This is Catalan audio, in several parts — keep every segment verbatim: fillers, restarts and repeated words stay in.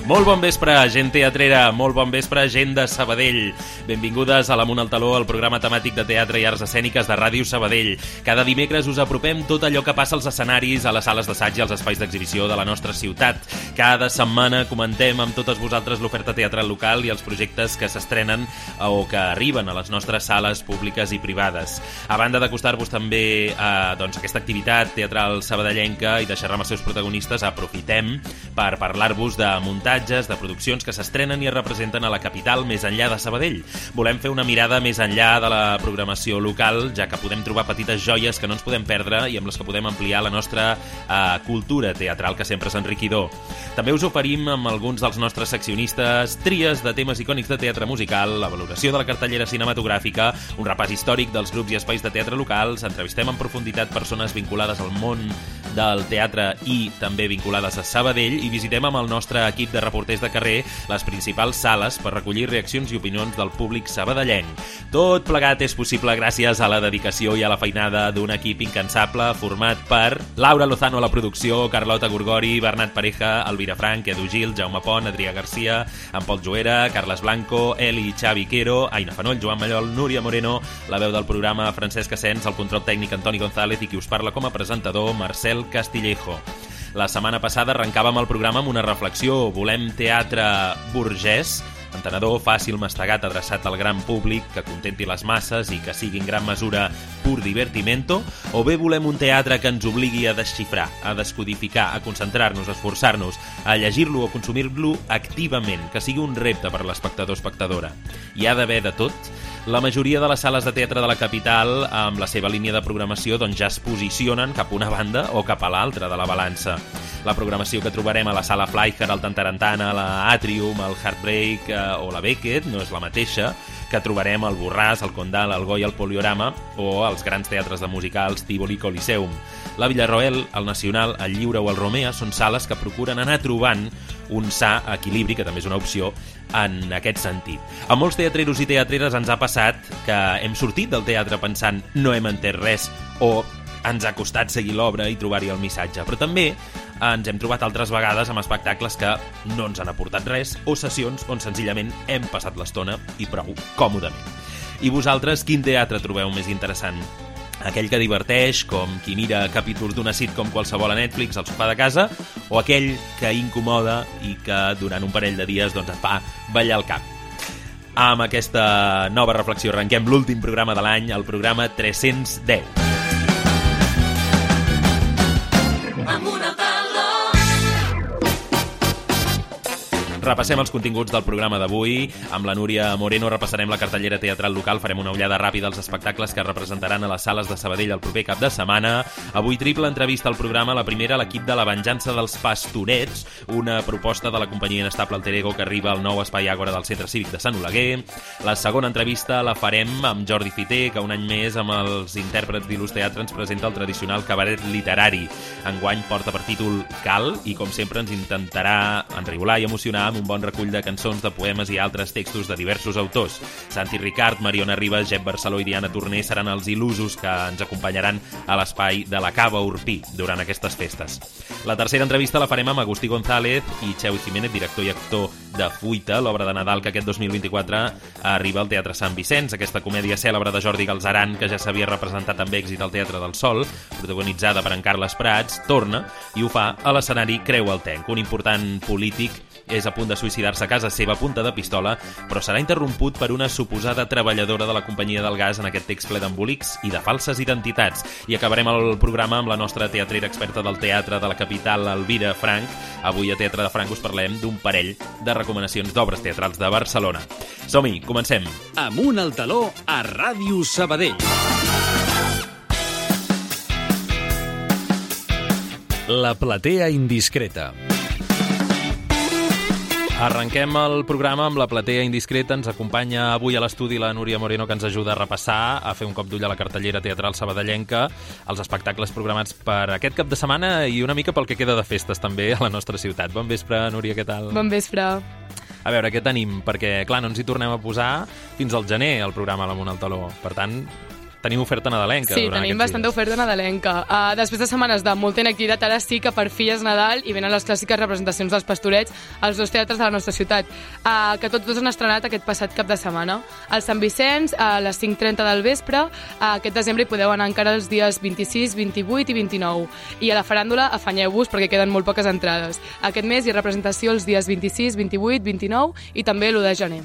Molt bon vespre, gent teatrera, molt bon vespre, gent de Sabadell. Benvingudes a l'Amunt al Taló, el programa temàtic de teatre i arts escèniques de Ràdio Sabadell. Cada dimecres us apropem tot allò que passa als escenaris, a les sales d'assaig i als espais d'exhibició de la nostra ciutat. Cada setmana comentem amb totes vosaltres l'oferta teatral local i els projectes que s'estrenen o que arriben a les nostres sales públiques i privades. A banda d'acostar-vos també a doncs, aquesta activitat teatral sabadellenca i deixar-me els seus protagonistes, aprofitem per parlar-vos de muntatge de produccions que s'estrenen i es representen a la capital més enllà de Sabadell. Volem fer una mirada més enllà de la programació local, ja que podem trobar petites joies que no ens podem perdre i amb les que podem ampliar la nostra uh, cultura teatral, que sempre és enriquidor. També us oferim amb alguns dels nostres seccionistes tries de temes icònics de teatre musical, la valoració de la cartellera cinematogràfica, un repàs històric dels grups i espais de teatre locals, entrevistem en profunditat persones vinculades al món del teatre i també vinculades a Sabadell i visitem amb el nostre equip de reporters de carrer les principals sales per recollir reaccions i opinions del públic sabadellenc. Tot plegat és possible gràcies a la dedicació i a la feinada d'un equip incansable format per Laura Lozano a la producció, Carlota Gorgori, Bernat Pareja, Elvira Frank, Edu Gil, Jaume Pont, Adrià Garcia, en Pol Joera, Carles Blanco, Eli i Xavi Quero, Aina Fanoll, Joan Mallol, Núria Moreno, la veu del programa Francesc Asens, el control tècnic Antoni González i qui us parla com a presentador Marcel Castillejo. La setmana passada arrencàvem el programa amb una reflexió. Volem teatre burgès, entenedor, fàcil, mastegat, adreçat al gran públic, que contenti les masses i que sigui en gran mesura pur divertimento, o bé volem un teatre que ens obligui a desxifrar, a descodificar, a concentrar-nos, a esforçar-nos, a llegir-lo o consumir-lo activament, que sigui un repte per l'espectador o espectadora. Hi ha d'haver de tot. La majoria de les sales de teatre de la capital, amb la seva línia de programació, doncs ja es posicionen cap a una banda o cap a l'altra de la balança. La programació que trobarem a la Sala Fleischer, al Tantarantana, a la Atrium, al Heartbreak eh, o la Beckett no és la mateixa que trobarem al Borràs, al Condal, al Goya, al Poliorama o als grans teatres de musicals Tívoli, Coliseum. La Villarroel, el Nacional, el Lliure o el Romea són sales que procuren anar trobant un sa equilibri, que també és una opció, en aquest sentit. A molts teatreros i teatreres ens ha passat que hem sortit del teatre pensant no hem entès res o ens ha costat seguir l'obra i trobar-hi el missatge, però també ens hem trobat altres vegades amb espectacles que no ens han aportat res o sessions on senzillament hem passat l'estona i prou còmodament. I vosaltres, quin teatre trobeu més interessant? Aquell que diverteix, com qui mira capítols d'una sitcom qualsevol a Netflix al sofà de casa, o aquell que incomoda i que durant un parell de dies doncs, et fa ballar el cap? Amb aquesta nova reflexió arrenquem l'últim programa de l'any, el programa tres-cents deu. Repassem els continguts del programa d'avui. Amb la Núria Moreno repassarem la cartellera teatral local, farem una ullada ràpida als espectacles que representaran a les sales de Sabadell el proper cap de setmana. Avui triple entrevista al programa, la primera a l'equip de La venjança dels pastorets, una proposta de la companyia inestable Alter Ego que arriba al nou espai Àgora del Centre Cívic de Sant Oleguer. La segona entrevista la farem amb Jordi Fiter, que un any més amb els intèrprets d'Il·lus Teatre ens presenta el tradicional cabaret literari. Enguany porta per títol Cal i com sempre ens intentarà enrigolar i emocionar amb un bon recull de cançons, de poemes i altres textos de diversos autors. Santi Ricard, Mariona Ribas, Jep Barceló i Diana Torner seran els il·lusos que ens acompanyaran a l'espai de la Cava Urpí durant aquestes festes. La tercera entrevista la farem amb Agustí González i Xevi Jiménez, director i actor de Fuita, l'obra de Nadal que aquest dos mil vint-i-quatre arriba al Teatre Sant Vicenç, aquesta comèdia cèlebre de Jordi Galzeran que ja s'havia representat amb èxit al Teatre del Sol, protagonitzada per en Carles Prats, torna i ho fa a l'escenari Creu el Tenc. Un important polític és a punt de suïcidar-se a casa seva a punta de pistola, però serà interromput per una suposada treballadora de la companyia del gas en aquest text ple d'embolics i de falses identitats. I acabarem el programa amb la nostra teatrera experta del teatre de la capital, Elvira Frank. Avui a Teatre de Frank us parlem d'un parell de recomanacions d'obres teatrals de Barcelona. Som-hi, comencem. Amunt al taló a Ràdio Sabadell. La platea indiscreta. Arrenquem el programa amb la platea indiscreta. Ens acompanya avui a l'estudi la Núria Moreno, que ens ajuda a repassar, a fer un cop d'ull a la cartellera teatral sabadellenca, els espectacles programats per aquest cap de setmana i una mica pel que queda de festes també a la nostra ciutat. Bon vespre, Núria, què tal? Bon vespre. A veure, què tenim? Perquè, clar, no ens hi tornem a posar fins al gener, el programa a l'Amunt al Taló. Per tant, teniu oferta nadalenca. Sí, tenim bastanta dies. oferta nadalenca. Uh, després de setmanes de molta inactivitat, ara sí que per fi és Nadal i venen les clàssiques representacions dels Pastorets als dos teatres de la nostra ciutat, uh, que tots dos han estrenat aquest passat cap de setmana. Al Sant Vicenç, a les cinc trenta del vespre, uh, aquest desembre hi podeu anar encara els dies vint-i-sis, vint-i-vuit i vint-i-nou. I a la faràndula afanyeu-vos perquè queden molt poques entrades. Aquest mes hi ha representació els dies vint-i-sis, vint-i-vuit, vint-i-nou i també l'u de gener.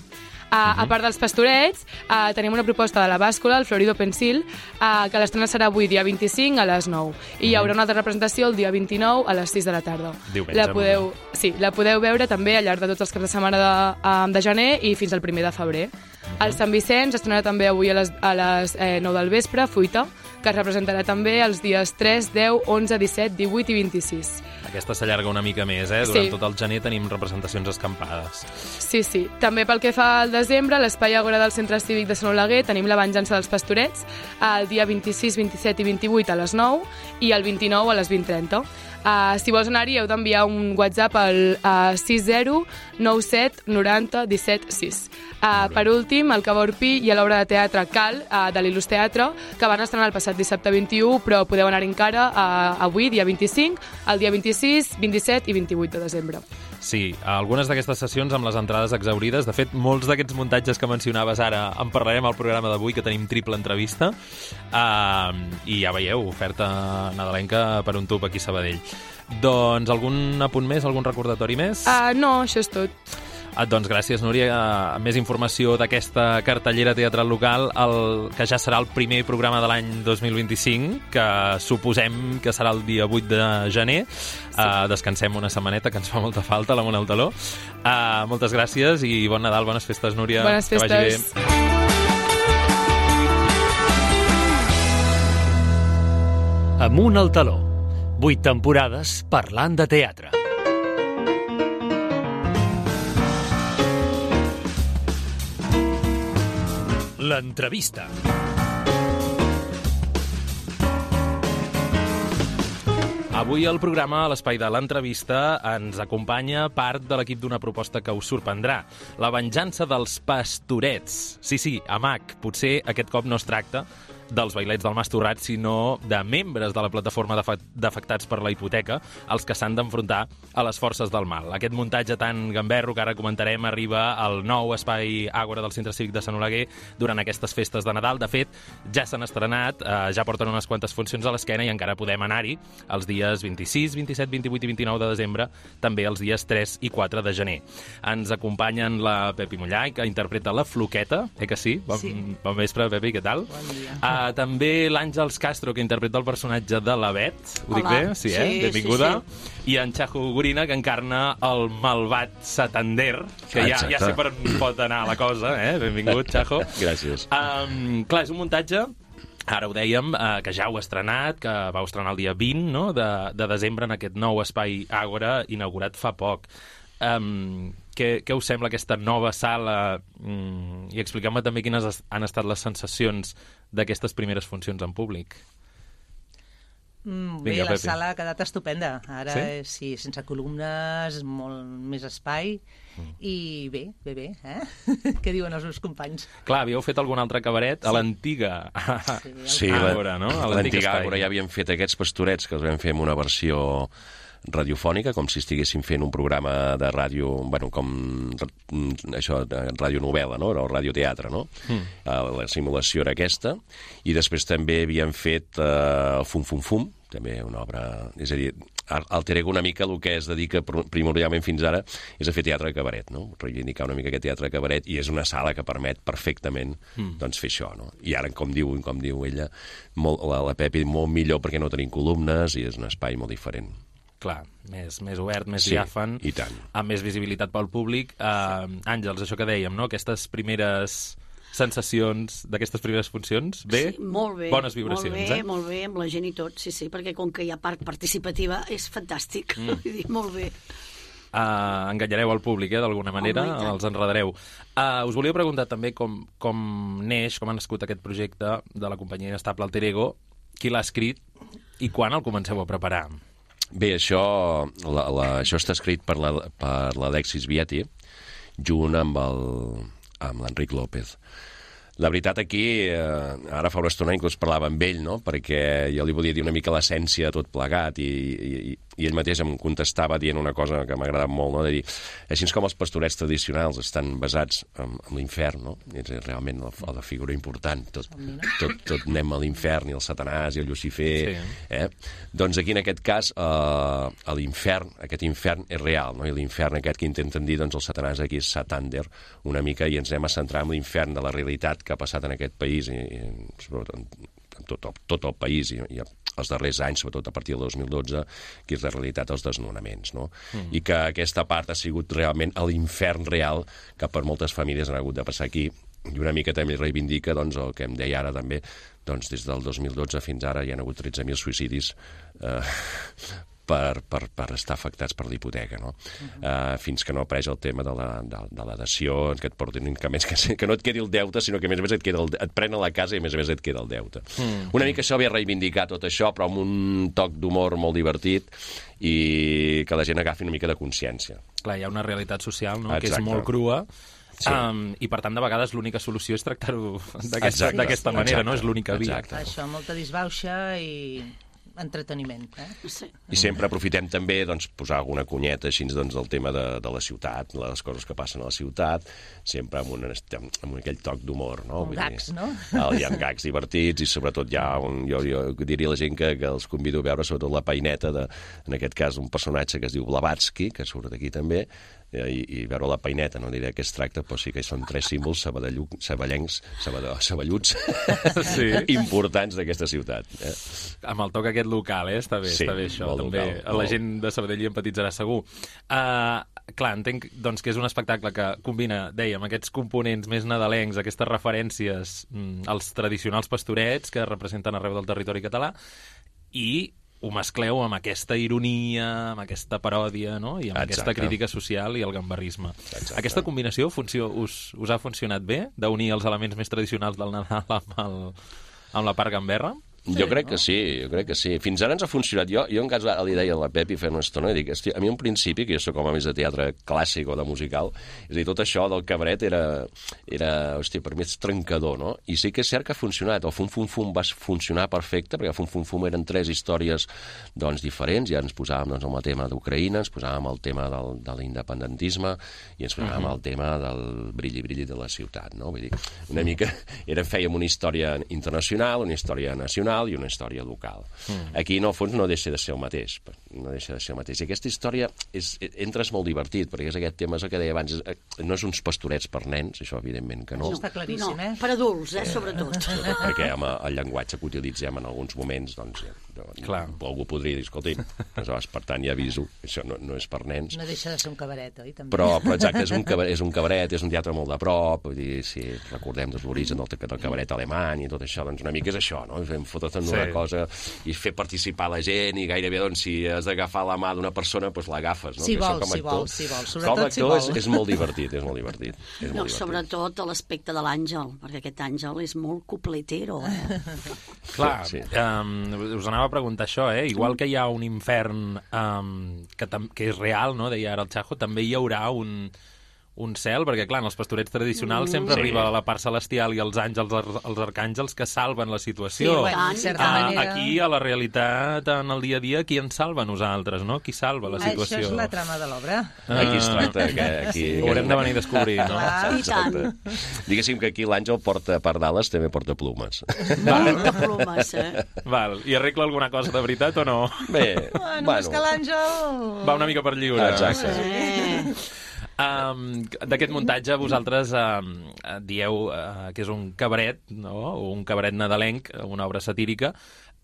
Uh, uh-huh. A part dels Pastorets, uh, tenim una proposta de la bàscula, el Florido Pensil, uh, que l'estrena serà avui, dia vint-i-cinc, a les nou. I hi haurà una altra representació el dia vint-i-nou a les sis de la tarda. Diumenge, la podeu, sí, la podeu veure també al llarg de tots els caps de setmana de, uh, de gener i fins al primer de febrer. Uh-huh. El Sant Vicenç estrenarà també avui a les, a les eh, nou del vespre, Fuita, que es representarà també els dies tres, deu, onze, disset, divuit i vint-i-sis. Aquesta s'allarga una mica més, eh? Durant sí. tot el gener tenim representacions escampades. Sí, sí. També pel que fa al desembre, a l'Espai Àgora del Centre Cívic de Sant Oleguer tenim la Venjança dels Pastorets el dia vint-i-sis, vint-i-set i vint-i-vuit a les nou i el vint-i-nou a les vint trenta. Uh, si vols anar-hi heu d'enviar un WhatsApp al uh, sis zero nou set noranta disset sis. Uh, per últim, al Cava Orpí hi ha l'obra de teatre Cal, uh, de l'Il·lus Teatre, que van estrenar el passat dissabte vint-i-u, però podeu anar-hi encara uh, avui, dia vint-i-cinc, el dia vint-i-sis, vint-i-set i vint-i-vuit de desembre. Sí, algunes d'aquestes sessions amb les entrades exaurides. De fet, molts d'aquests muntatges que mencionaves ara en parlarem al programa d'avui, que tenim triple entrevista. Uh, I ja veieu, oferta nadalenca per un tub aquí a Sabadell. Doncs algun apunt més, algun recordatori més? Uh, no, això és tot. Ah, doncs gràcies, Núria. Uh, més informació d'aquesta cartellera teatral local, el, que ja serà el primer programa de l'any dos mil vint-i-cinc, que suposem que serà el dia vuit de gener. Sí. Uh, descansem una setmaneta, que ens fa molta falta, l'Amunt al Taló. Uh, moltes gràcies i bon Nadal, bones festes, Núria. Bones festes. Que vagi bé. Amunt al Taló. Vuit temporades parlant de teatre. L'entrevista. Avui al programa, a l'espai de l'entrevista, ens acompanya part de l'equip d'una proposta que us sorprendrà. La venjança dels Pastorets. Sí, sí, a M A C. Potser aquest cop no es tracta dels bailets del Mas Torrat, sinó de membres de la plataforma d'afectats per la hipoteca, els que s'han d'enfrontar a les forces del mal. Aquest muntatge tan gamberro que ara comentarem arriba al nou espai Àgora del Centre Cívic de Sant Oleguer durant aquestes festes de Nadal. De fet, ja s'han estrenat, eh, ja porten unes quantes funcions a l'esquena i encara podem anar-hi els dies vint-i-sis, vint-i-set, vint-i-vuit i vint-i-nou de desembre, també els dies tres i quatre de gener. Ens acompanyen la Pepi Mollà, que interpreta la Floqueta, eh que sí? Bon, sí. Bon vespre, Pepi, què tal? Bon dia. Uh, també l'Àngels Castro, que interpreta el personatge de la Bet. Ho dic Hola. bé? Sí, eh? Sí, Benvinguda. sí, I en Chajo Gorina, que encarna el malvat Santander, que ja, ja sé per on pot anar la cosa, eh? Benvingut, Chajo. Gràcies. Um, clar, és un muntatge, ara ho dèiem, eh, que ja heu estrenat, que vau estrenar el dia vint, no?, de, de desembre en aquest nou espai Àgora, inaugurat fa poc. Um, què, què us sembla aquesta nova sala? Mm, I expliqueu-me també quines han estat les sensacions d'aquestes primeres funcions en públic. Mm, bé, Vinga, la Pepi. sala ha quedat estupenda. Ara, Sí? sí, sí sense columnes, molt més espai, Mm. i bé, bé, bé, eh? Què diuen els meus companys? Clar, havíeu fet algun altre cabaret a l'antiga Sí, el- Sí, Àgora, no? A l'antic l'antiga espai. Àgora ja havíem fet aquests Pastorets, que els vam fer en una versió radiofònica, com si estiguéssim fent un programa de ràdio, bueno, com això, de radionovel·la, no? O radioteatre, no? Mm. La simulació era aquesta, i després també havíem fet uh, Fum Fum Fum, també una obra, és a dir, alterego una mica el que es dedica primordialment fins ara, és a fer teatre de cabaret, no? Reivindicar una mica aquest teatre de cabaret, i és una sala que permet perfectament mm. doncs, fer això, no? I ara, com diu, com diu ella, molt, la, la Pepi, molt millor perquè no tenim columnes i és un espai molt diferent. Clar, més, més obert, més Sí, diàfan, i tant. amb més visibilitat pel públic. Uh, Àngels, això que dèiem, no? Aquestes primeres sensacions d'aquestes primeres funcions, bé? Sí, molt bé. Bones vibracions, molt bé, eh? Molt bé, amb la gent i tot, sí, sí, perquè com que hi ha part participativa és fantàstic, mm. Vull dir, molt bé. Uh, enganyareu el públic, eh, d'alguna manera, Home, i tant. els enredareu. Uh, us volia preguntar també com, com neix, com ha nascut aquest projecte de la companyia Inestable Alter Ego, qui l'ha escrit i quan el comenceu a preparar? Bé, això, la, la, això està escrit per la, per l'Alexis Vieti, junt amb el, amb l'Enric López. La veritat, aquí, eh, ara fa una estona inclús parlava amb ell, no? Perquè jo li volia dir una mica l'essència de tot plegat i, i, i ell mateix em contestava dient una cosa que m'ha agradat molt, no? De dir, així com els pastorets tradicionals estan basats en, en l'infern, no? És realment la, la figura important. Tot, tot, tot anem a l'infern, i el Satanàs i el Lucifer. Sí. Eh? Doncs aquí, en aquest cas, eh, l'infern, aquest infern és real, no? I l'infern aquest que intenten dir, doncs el Satanàs aquí és Satander, una mica, i ens anem a centrar en l'infern de la realitat que ha passat en aquest país, i, i sobretot en, en tot, el, tot el país, i, i els darrers anys, sobretot a partir del dos mil dotze, que és la realitat dels desnonaments, no? Mm. I que aquesta part ha sigut realment l'infern real que per moltes famílies han hagut de passar aquí, i una mica també reivindica, doncs, el que em deia ara també, doncs des del dos mil dotze fins ara hi ha hagut tretze mil suïcidis eh, Per, per, per estar afectats per l'hipoteca, no? Uh-huh. Uh, fins que no apareix el tema de la, de, de la dació, que et portin, que, més, que, que no et quedi el deute, sinó que a més a més et, queda el, et prenen la casa i a més a més et queda el deute. Uh-huh. Una mica això ve a reivindicar tot això, però amb un toc d'humor molt divertit i que la gent agafi una mica de consciència. Clar, hi ha una realitat social, no? Que és molt crua. Sí. Um, i per tant de vegades l'única solució és tractar-ho d'aquesta manera, no? És l'única via. Exacte. Això, molta disbauxa i entreteniment. Eh? Sí. I sempre aprofitem també doncs, posar alguna cunyeta així doncs, del tema de, de la ciutat, les coses que passen a la ciutat, sempre amb, un, amb aquell toc d'humor. No? Un gags, no? Hi ha gags divertits i sobretot hi ha un, jo, jo diria a la gent que, que els convido a veure sobretot la peineta, de, en aquest cas un personatge que es diu Blavatsky, que surt aquí també, i, i veure la peineta, no diré què es tracta, però sí que són tres símbols saballencs, saballuts, sí. importants d'aquesta ciutat. Eh? Amb el toc aquest local, eh? Està bé, sí, està bé això. També local, la molt... gent de Sabadell hi empatitzarà segur. Uh, clar, entenc doncs, que és un espectacle que combina, dèiem, aquests components més nadalencs, aquestes referències mm, als tradicionals pastorets que representen arreu del territori català, i ho mescleu amb aquesta ironia, amb aquesta paròdia, no? I amb Exacte. Aquesta crítica social i el gambarrisme. Exacte. Aquesta combinació funció, us, us ha funcionat bé, d'unir els elements més tradicionals del Nadal amb, el, amb la part gamberra? Sí, jo crec no? que sí, jo crec que sí. Fins ara ens ha funcionat. Jo, jo en cas li deia a la Pepi fent una estona, dic, hosti, a mi un principi, que jo soc com a més de teatre clàssic o de musical, és a dir, tot això del cabret era, era hosti, per mi és trencador, no? I sí que és cert que ha funcionat. El Fum Fum Fum va funcionar perfecte, perquè el Fum Fum Fum eren tres històries doncs, diferents, ja ens posàvem doncs, amb el tema d'Ucraïna, ens posàvem el tema del, de l'independentisme i ens posàvem uh-huh. el tema del brilli-brilli de la ciutat, no? Vull dir, una mica era, fèiem una història internacional, una història nacional i una història local. Mm. Aquí, no, al fons, no deixa de ser el mateix. No deixa de ser el mateix. I aquesta història és, entra és molt divertit, perquè és aquest tema, és el que deia abans, no és uns pastorets per nens, això evidentment que no. No, està claríssim, no, eh? Per adults, eh, sobretot. Eh, sobretot perquè amb el llenguatge que utilitzem en alguns moments, doncs, Clar. algú podria dir, escolti, aleshores, per tant, ja aviso, això no, no és per nens. No deixa de ser un cabaret, oi? També. Però, però exacte, és un, cabaret, és un cabaret, és un teatre molt de prop, vull dir, si recordem doncs, l'origen del, del cabaret alemany i tot això, doncs una mica és això, no? Fem fotre en una sí. cosa i fer participar la gent i gairebé, doncs, si has d'agafar la mà d'una persona, doncs l'agafes, no? Si vols, si vols, si vols. Com a actor és, és molt divertit, és molt divertit. És no, molt divertit. Sobretot l'aspecte de l'Àngel, perquè aquest Àngel és molt cupletero, eh? Clar, sí. um, us anava a preguntar això, eh? Igual que hi ha un infern um, que, que és real, no? Deia ara el Chajo, també hi haurà un, un cel, perquè clar, en els pastorets tradicionals sempre sí. arriba la part celestial i els àngels, els, els arcàngels que salven la situació. Sí, bueno, en certa uh, manera... Aquí, a la realitat, en el dia a dia, qui ens salva? Nosaltres, no? Qui salva la situació? Això és la trama de l'obra. Uh, aquí es tracta. Que, aquí, sí. Ho haurem de venir a descobrir, no? Clar, i tant. Diguéssim que aquí l'Àngel porta per Dallas, també porta plumes. Porta plumes, eh? Val. I arregla alguna cosa de veritat o no? Bé, bueno, bueno. És que l'Àngel... Va una mica per lliure. Exacte. Eh. Um, d'aquest muntatge vosaltres uh, dieu uh, que és un cabaret, no? O un cabaret nadalenc, una obra satírica.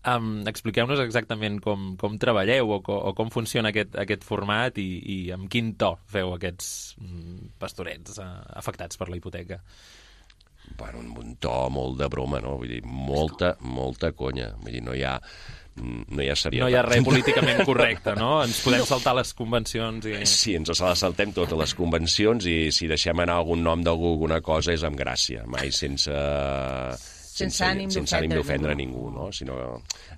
Um, expliqueu-nos exactament com, com treballeu o, co, o com funciona aquest, aquest format i, i amb quin to feu aquests um, pastorets uh, afectats per la hipoteca. Bueno, un to molt de broma, no? Vull dir, molta, molta conya. Vull dir, no hi ha... no hi ha serietat. No hi ha res políticament correcte, no? Ens podem saltar les convencions i... Sí, ens les saltem totes les convencions i si deixem anar algun nom d'algú alguna cosa és amb gràcia, mai sense, sense ànim sense ànim d'ofendre ningú. ningú, no? Sinó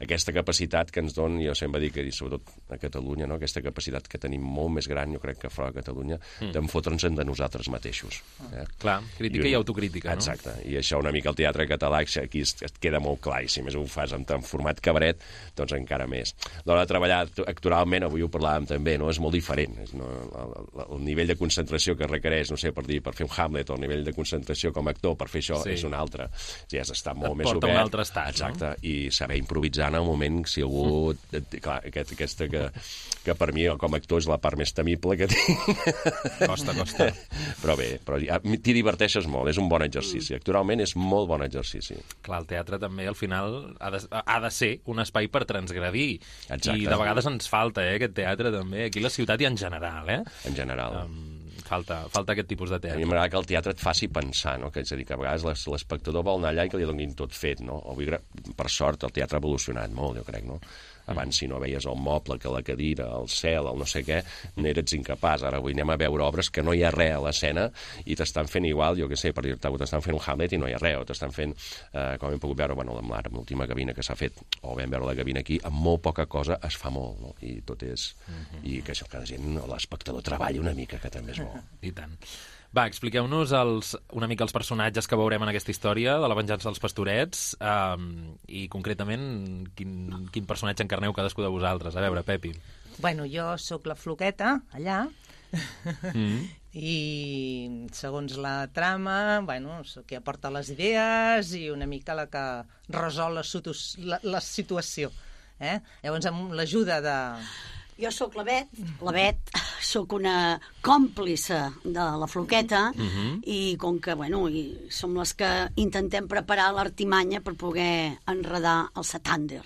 aquesta capacitat que ens dona, jo sempre dic, i sobretot a Catalunya, no? Aquesta capacitat que tenim molt més gran, jo crec que fora de Catalunya, mm. d'enfotre'ns de nosaltres mateixos. Eh? Clar, crítica i, un... i autocrítica, no? Exacte, i això una mica el teatre català aquí et queda molt clar, i si més ho fas en, en format cabaret, doncs encara més. L'hora de treballar actoralment, avui ho parlàvem també, no? És molt diferent. És, no? el, el nivell de concentració que requereix, no sé, per dir, per fer un Hamlet, o el nivell de concentració com a actor per fer això, sí. és un altre. Ja has d'estar molt et més obert. porta un altre estat, exacte, no? I saber improvisar en el moment, si algú... Clar, aquest, aquesta que, que per mi, com a actor, és la part més temible que tinc. Costa, costa. Però bé, però t'hi diverteixes molt, és un bon exercici. Actualment és molt bon exercici. Clar, el teatre també, al final, ha de, ha de ser un espai per transgredir. Exacte. I de vegades ens falta, eh, aquest teatre, també. Aquí a la ciutat i en general, eh? En general. Um, falta, falta aquest tipus de A teatre. mi m'agrada que el teatre et faci pensar, no? Que, és a dir, que a vegades l'espectador vol anar allà i que li donin tot fet, no? Avui, per sort, el teatre ha evolucionat molt, jo crec, no? Abans, si no veies el moble, que la cadira, el cel, el no sé què, n'eres incapaç. Ara avui anem a veure obres que no hi ha res a l'escena i t'estan fent igual, jo què sé, per dir-te, t'estan fent un Hamlet i no hi ha res, o t'estan fent, eh, com hem pogut veure, bueno, amb l'última gavina que s'ha fet, o vam veure la gavina aquí, amb molt poca cosa es fa molt, no? I tot és... Uh-huh. I que això, que la gent, l'espectador treballi una mica, que també és bo. I tant. Va, expliqueu-nos els, una mica els personatges que veurem en aquesta història de la venjança dels pastorets um, i concretament quin, quin personatge encarneu cadascú de vosaltres. A veure, Pepi. Bueno, jo sóc la Floqueta, allà, Mm. i segons la trama, bueno, sóc qui aporta les idees i una mica la que resol la, la, la situació. Eh? Llavors, amb l'ajuda de... Jo sóc la Bet, la Bet, sóc una còmplice de la Floqueta Uh-huh. i com que, bueno, i som les que intentem preparar l'artimanya per poder enredar el Satander.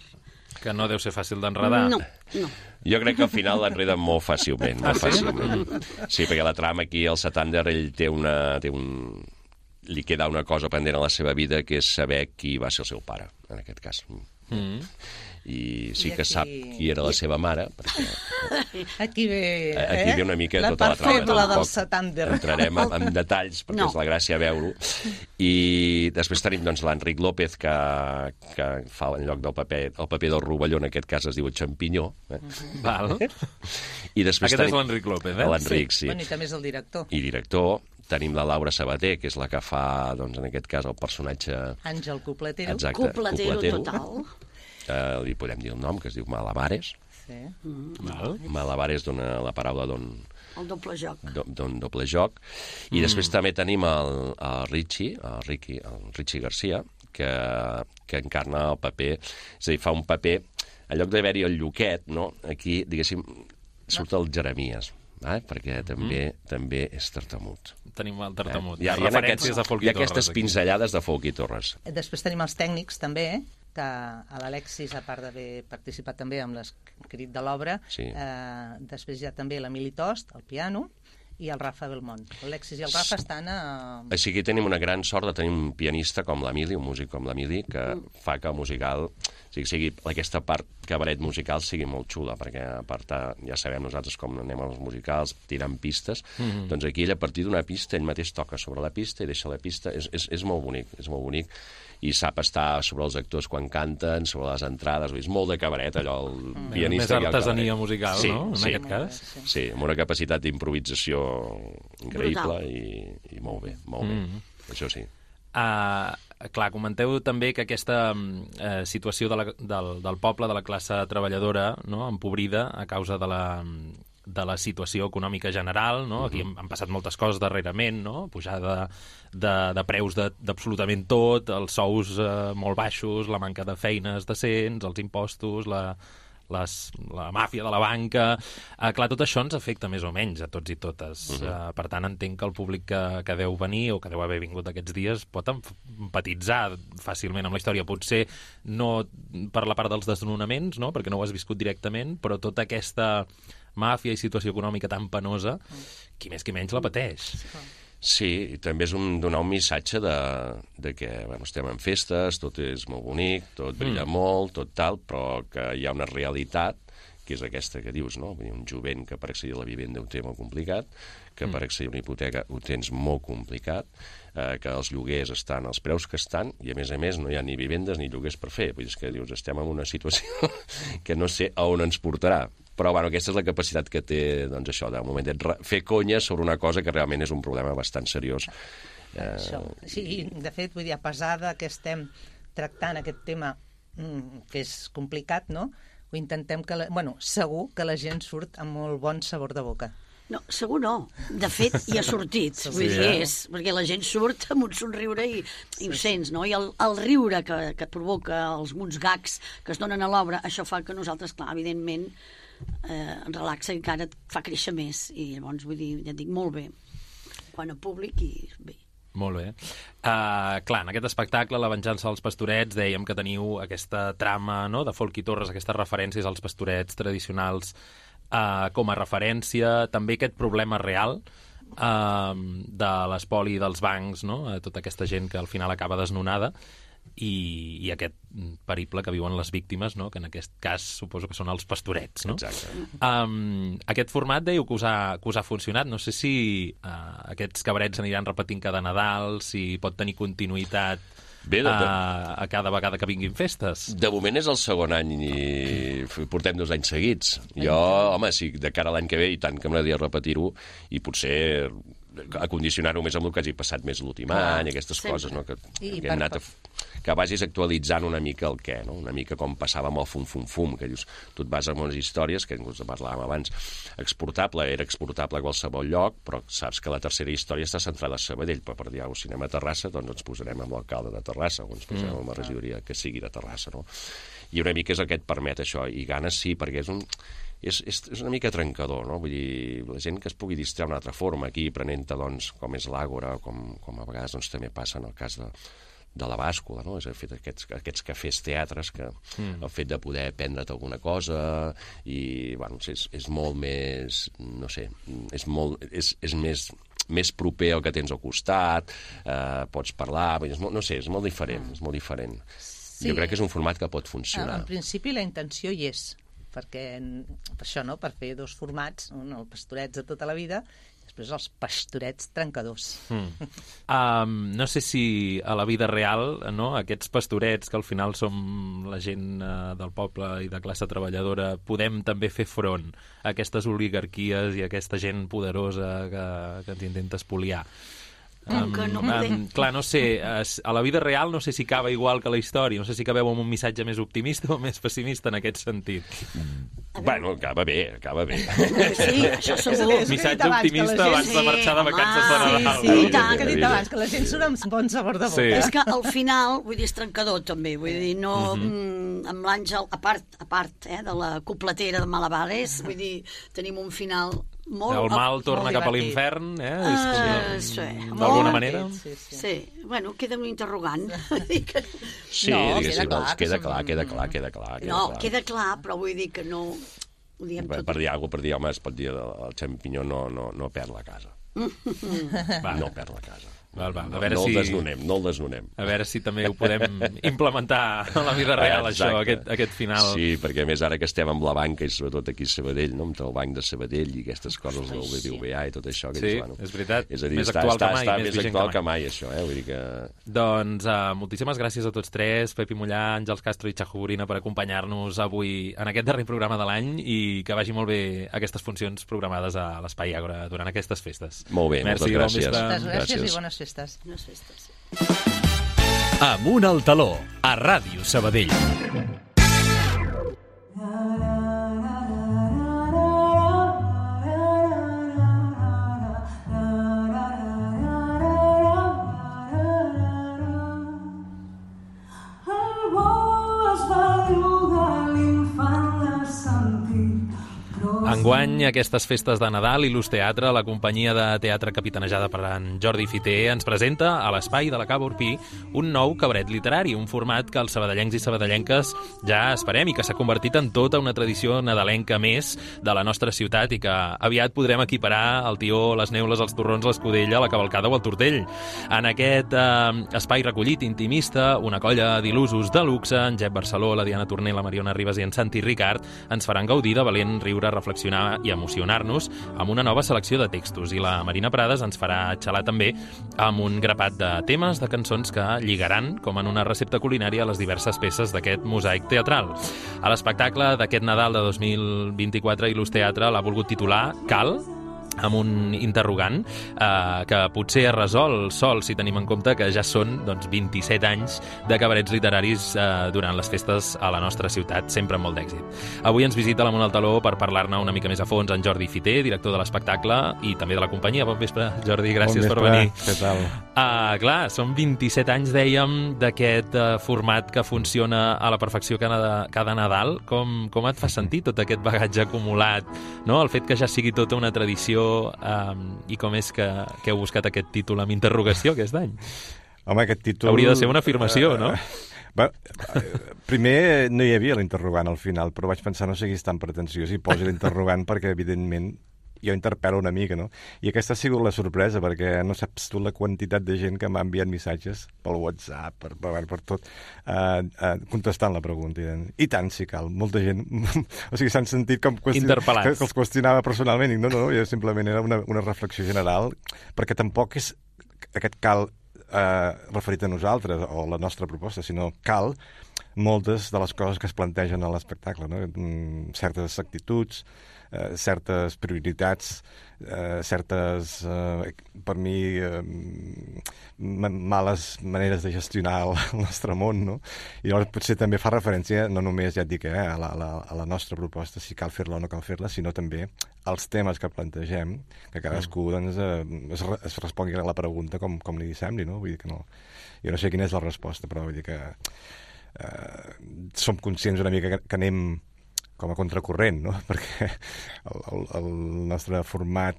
Que no deu ser fàcil d'enredar. No, no. Jo crec que al final l'enreden molt fàcilment, molt fàcilment. Sí, perquè la trama aquí, el Satander, ell té una... Té un... li queda una cosa pendent a la seva vida, que és saber qui va ser el seu pare, en aquest cas. Mm. I sí I que aquí... sap qui era la seva mare, perquè Aquí ve, eh? aquí ve una mica la tota la part trama. feble del Tampoc Satander. entrarem en, en detalls, perquè No. és la gràcia veure-ho. I després tenim doncs, l'Enric López, que, que fa en lloc del paper, el paper del rovelló, en aquest cas es diu Champinyó. Eh? Val. I després Aquest és tenim... l'Enric López, eh? L'Enric, sí. Bueno, i també és el director. I director. Tenim la Laura Sabater, que és la que fa, doncs, en aquest cas, el personatge... Àngel Copletero. Exacte, Copletero Copletero. total. Eh, li podem dir el nom, que es diu Malabares. Sí. Val. Malabares dona la paraula don, El doble joc. don doble joc. I mm. després també tenim el, el Richie, el Ricky, el Richie Garcia, que, que encarna el paper, és a dir, fa un paper, en lloc d'haver-hi el Lluquet, no? Aquí, diguéssim, surt el Jeremies, eh? Perquè també mm. també és tartamut. Tenim el tartamut. Eh? Hi ha, hi ha, Referències aquests, a Folk hi i ha aquestes Torres, aquí. pinzellades de Folk i Torres. Després tenim els tècnics, també, que a l'Alexis, a part d'haver participat també amb l'escrit de l'obra, Sí. eh, després hi ha també l'Emili Tost, al piano, i el Rafa Belmont. L'Alexis i el Rafa estan a... Així que tenim una gran sort de tenir un pianista com l'Emili, un músic com l'Emili, que mm. fa que el musical, o sigui, sigui, aquesta part cabaret musical sigui molt xula, perquè a part ja sabem nosaltres com anem als musicals, tirant pistes, mm-hmm. doncs aquí ell a partir d'una pista, ell mateix toca sobre la pista i deixa la pista, és, és, és molt bonic, és molt bonic, i sap estar sobre els actors quan canten, sobre les entrades, és molt de cabaret, allò, el Mm. pianista... Més artesania musical, sí, no?, en sí. aquest cas. Sí, amb una capacitat d'improvisació increïble Brutal. i, i molt bé, molt bé, Mm. això sí. Uh, clar, comenteu també que aquesta uh, situació de la, del, del poble, de la classe treballadora, no?, empobrida a causa de la, de la situació econòmica general, no? Aquí han, han passat moltes coses darrerament, no? Pujada de, de preus de- d'absolutament tot, els sous uh, molt baixos, la manca de feines decents, els impostos, la, les, la màfia de la banca... Uh, clar, tot això ens afecta més o menys a tots i totes. Uh, per tant, entenc que el públic que, que deu venir o que deu haver vingut aquests dies pot em- empatitzar fàcilment amb la història. Potser no per la part dels desnonaments, no?, perquè no ho has viscut directament, però tota aquesta màfia i situació econòmica tan penosa, qui més qui menys la pateix. Sí, i també és un, donar un missatge de, de que bueno, estem en festes, tot és molt bonic, tot brilla mm. molt, tot tal, però que hi ha una realitat, que és aquesta que dius, no? Vull dir, un jovent que per accedir a la vivenda ho té molt complicat, que mm. per accedir a una hipoteca ho tens molt complicat, eh, que els lloguers estan als preus que estan, i a més a més no hi ha ni vivendes ni lloguers per fer. Vull dir que dius, estem en una situació que no sé a on ens portarà. Però bueno, aquesta és la capacitat que té, doncs això, de moment, de fer conya sobre una cosa que realment és un problema bastant seriós. Eh... Això. Sí, de fet, vull dir, a pesar de que estem tractant aquest tema mm, que és complicat, no? Ho intentem que... La... Bueno, segur que la gent surt amb molt bon sabor de boca. No, segur no. De fet, hi ha sortit. Sí, vull dir, és, perquè la gent surt amb un somriure i, i ho sents, no? I el, el riure que, que provoca els uns gags que es donen a l'obra, això fa que nosaltres, clar, evidentment, eh, ens relaxa i encara et fa créixer més. I llavors, vull dir, ja et dic, molt bé. Quan a públic i bé. Molt bé. Uh, clar, en aquest espectacle, La venjança dels pastorets, dèiem que teniu aquesta trama, no?, de Folk i Torres, aquestes referències als pastorets tradicionals uh, com a referència, també aquest problema real uh, de l'espoli dels bancs, no?, uh, tota aquesta gent que al final acaba desnonada, i, i aquest periple que viuen les víctimes, no?, que en aquest cas suposo que són els pastorets, no? Exacte. Um, aquest format dèieu que us ha, que us ha funcionat. No sé si uh, aquests cabarets aniran repetint cada Nadal, si pot tenir continuïtat Bé, de, de... a, a cada vegada que vinguin festes. De moment és el segon any i portem dos anys seguits. Jo, home, sí, de cara a l'any que ve, i tant que m'agradaria repetir-ho, i potser acondicionar-ho més amb el que hagi passat més l'últim ah, any, aquestes sempre. Coses, no? que, I que hem anat a... que vagis actualitzant una mica el què, no? Una mica com passava amb el fum-fum-fum, que dius, tu et vas amb unes històries, que inclús parlàvem abans, exportable, era exportable a qualsevol lloc, però saps que la tercera història està centrada a Sabadell, però per dir alguna cosa, si anem a Terrassa, doncs ens posarem amb l'alcalde de Terrassa, o ens posarem mm. amb la regidoria que sigui de Terrassa, no? I una mica és el que et permet això, i ganes sí, perquè és un... És, és, és una mica trencador, no? Vull dir, la gent que es pugui distreure d'una altra forma, aquí prenent-te, doncs, com és l'Àgora, com, com a vegades doncs, també passa en el cas de, de la bàscula, no? És el fet aquests, aquests cafès teatres, que mm. el fet de poder prendre't alguna cosa, i, bueno, és, és molt més, no sé, és, molt, és, és més... més proper al que tens al costat, eh, pots parlar, és molt, no sé, és molt diferent, mm. és molt diferent. Sí. Jo crec que és un format que pot funcionar. En principi la intenció hi és, perquè per això, no?, per fer dos formats, un, el Pastorets de tota la vida, i després els Pastorets trencadors. Mm. Um, no sé si a la vida real, no?, aquests pastorets, que al final som la gent uh, del poble i de classe treballadora, podem també fer front a aquestes oligarquies i a aquesta gent poderosa que, que ens intenta espoliar. Um, que no um, clar, no sé, a la vida real no sé si acaba igual que la història, no sé si acabeu amb un missatge més optimista o més pessimista en aquest sentit. Bueno, acaba bé, acaba bé. Sí, això segur. Missatge optimista abans de marxar de vacances de Nadal. Sí, sí, tant, que he dit abans, que la gent surt amb bon sabor de boca. Sí. És que al final, vull dir, és trencador també, vull dir, no... Mm-hmm. Amb l'Àngel, a part, a part eh, de la copletera de Malabares, vull dir, tenim un final... Molt, el mal molt torna cap a divertit. L'infern, eh? Uh, sí, d'alguna manera? Sí, sí. Sí, bueno, queda un interrogant. Sí, No, diguéssim, queda clar doncs, que queda som- clar, queda clar, queda clar. Queda No, clar. queda clar, però vull dir que no... Ho diem Per, tot. per dir alguna cosa, per dir, home, es pot dir, el, el xampinyó no, no, no perd la casa. Va. No perd la casa. Val, val. A No, veure no si... el desnonem, no el desnonem. A veure si també ho podem implementar a la vida real, Exacte. això, aquest, aquest final. Sí, perquè a més ara que estem amb la banca, i sobretot aquí a Sabadell, no? Amb el banc de Sabadell i aquestes coses del B B V A i tot això. Que Sí, dius, bueno, és veritat. És a dir, Més està, actual està, que mai, està més més vigent actual que que mai. mai, això, eh? Vull dir que... Doncs uh, moltíssimes gràcies a tots tres, Pepi Mollà, Àngels Castro i Chajo Gorina, per acompanyar-nos avui en aquest darrer programa de l'any, i que vagi molt bé aquestes funcions programades a l'Espai Àgora durant aquestes festes. Molt bé, Merci, moltes bon gràcies. vespre. Moltes gràcies Gràcies. i bones festes. No sé, està, sí. Amunt al taló, a Ràdio Sabadell. Enguany, aquestes festes de Nadal i l'Ús Teatre, la companyia de teatre capitanejada per en Jordi Fiter, ens presenta a l'Espai de la Cava Orpí un nou cabaret literari, un format que els sabadellencs i sabadellenques ja esperem i que s'ha convertit en tota una tradició nadalenca més de la nostra ciutat i que aviat podrem equiparar el tió, les neules, els torrons, l'escudella, la cavalcada o el tortell. En aquest eh, espai recollit intimista, una colla d'il·lusos de luxe, en Jep Barceló, la Diana Torner, la Mariona Ribas i en Santi Ricard, ens faran gaudir de valent riure, reflexió reflexionar i emocionar-nos amb una nova selecció de textos. I la Marina Prades ens farà xalar també amb un grapat de temes, de cançons que lligaran, com en una recepta culinària, les diverses peces d'aquest mosaic teatral. A l'espectacle d'aquest Nadal de dos mil vint-i-quatre, Ilús Teatre l'ha volgut titular Cal?, amb un interrogant eh, que potser es resol sol si tenim en compte que ja són doncs, vint-i-set anys de cabarets literaris eh, durant les festes a la nostra ciutat, sempre amb molt d'èxit. Avui ens visita a l'Amunt al Taló per parlar-ne una mica més a fons en Jordi Fiter, director de l'espectacle i també de la companyia. Bon vespre, Jordi, gràcies bon per venir. Què tal? Uh, clar, són vint-i-set anys, dèiem, d'aquest uh, format que funciona a la perfecció cada, cada Nadal. Com, com et fa sentir tot aquest bagatge acumulat, no? El fet que ja sigui tota una tradició. Um, I com és que, que heu buscat aquest títol amb interrogació aquest any? Home, aquest títol... Hauria de ser una afirmació, no? Bé, primer no hi havia l'interrogant al final, però vaig pensar no siguis tan pretensiós i posi l'interrogant perquè, evidentment, jo interpel·lo una mica, no? I aquesta ha sigut la sorpresa, perquè no saps tu la quantitat de gent que m'ha enviat missatges pel WhatsApp, per, per, per tot, uh, uh, contestant la pregunta. I tant, si cal. Molta gent... o sigui, s'han sentit com qüestion... interpel·lats. Que, que els qüestionava personalment. I no, no, jo simplement era una, una reflexió general, perquè tampoc és aquest cal eh, referit a nosaltres o la nostra proposta, sinó cal moltes de les coses que es plantegen a l'espectacle, no? Certes actituds, eh, certes prioritats, eh, certes, eh, per mi, eh, males maneres de gestionar el, el nostre món, no? I llavors potser també fa referència, no només, ja et dic, eh, a, la, a, la, a la nostra proposta, si cal fer-la o no cal fer-la, sinó també als temes que plantegem, que cadascú doncs, eh, es, es respongui a la pregunta com, com li sembli, no? Vull dir que no... Jo no sé quina és la resposta, però vull dir que eh, som conscients una mica que, que anem com a contracorrent, no? Perquè el, el, el nostre format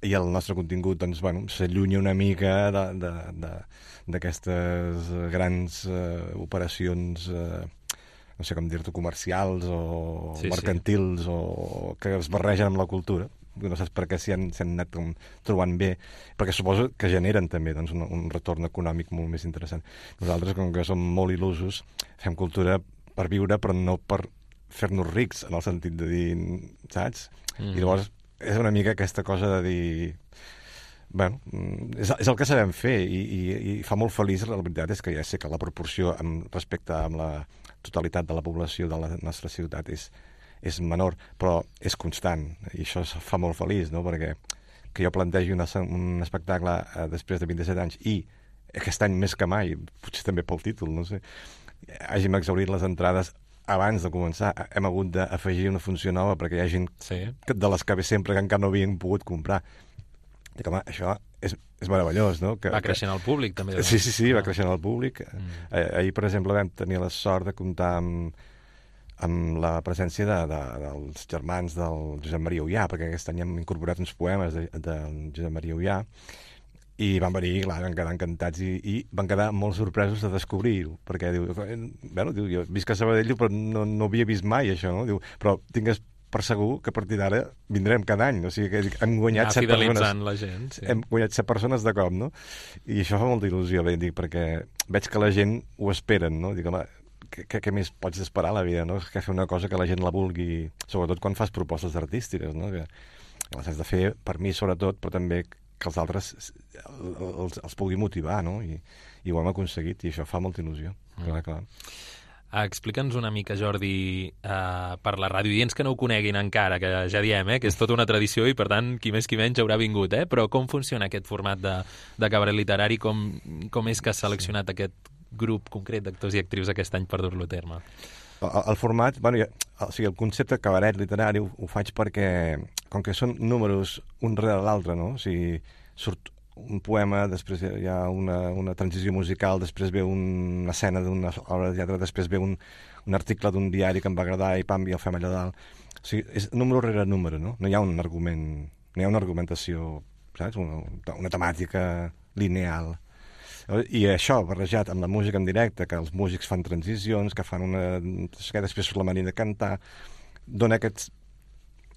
i el nostre contingut doncs, bueno, s'allunya una mica d'aquestes grans uh, operacions, uh, no sé com dir-ho, comercials o sí, mercantils, sí. O que es barregen amb la cultura. No saps per què s'hi han, han anat com, trobant bé, perquè suposo que generen també doncs, un, un retorn econòmic molt més interessant. Nosaltres, com que som molt il·lusos, fem cultura per viure, però no per fer-nos rics, en el sentit de dir, saps? Mm. I llavors és una mica aquesta cosa de dir... Bueno, és, és el que sabem fer i, i, i fa molt feliç, la veritat és que ja sé que la proporció amb, respecte amb la totalitat de la població de la nostra ciutat és, és menor, però és constant i això fa molt feliç, no? Perquè que jo plantegi una, un espectacle eh, després de vint-i-set anys i aquest any més que mai, potser també pel títol, no sé, hàgim exhaurit les entrades abans de començar, hem hagut d'afegir una funció nova perquè hi ha gent sí. de les que ve sempre que encara no havien pogut comprar. Dic, home, això és, és meravellós, no? Que, va creixent el públic, també. Sí, sí, sí, va creixent el públic. Mm. Eh, ahir, per exemple, vam tenir la sort de comptar amb, amb la presència de, de, dels germans del Josep Maria Ullà, perquè aquest any hem incorporat uns poemes de, del Josep Maria Ullà, i van venir, clar, van quedar encantats i, i van quedar molt sorpresos de descobrir-ho, perquè diu, bueno, diu, jo visc a Sabadell, però no, no havia vist mai això, no? Diu, però tingues per segur que a partir d'ara vindrem cada any, o sigui que hem guanyat set persones. La gent, sí. Hem guanyat set persones de cop, no? I això fa molta il·lusió, bé, dic, perquè veig que la gent ho esperen, no? Dic, home, què, què més pots esperar a la vida, no? Que fer una cosa que la gent la vulgui, sobretot quan fas propostes artístiques, no? Que les has de fer per mi, sobretot, però també que els altres els, els pugui motivar, no? I, i ho hem aconseguit, i això fa molta il·lusió. Mm. Clar, clar. Explica'ns una mica, Jordi, uh, per la ràdio, i ens que no ho coneguin encara, que ja diem, eh, que és tota una tradició i, per tant, qui més qui menys haurà vingut, eh? Però com funciona aquest format de, de cabaret literari? Com, com és que has seleccionat sí. aquest grup concret d'actors i actrius aquest any per dur-lo a terme? El, el format, bueno, ja, o sigui, el concepte cabaret literari ho, ho faig perquè, com que són números un rere l'altre, no? O sigui, surt un poema, després hi ha una, una transició musical, després ve una escena d'una obra de teatre, després ve un, un article d'un diari que em va agradar i pam, i el fem allà dalt. O sigui, és número rere número, no? No hi ha un argument, no hi ha una argumentació, saps? Una, una temàtica lineal. I això, barrejat amb la música en directe, que els músics fan transicions, que fan una... que després surt la manera de cantar, dona aquest,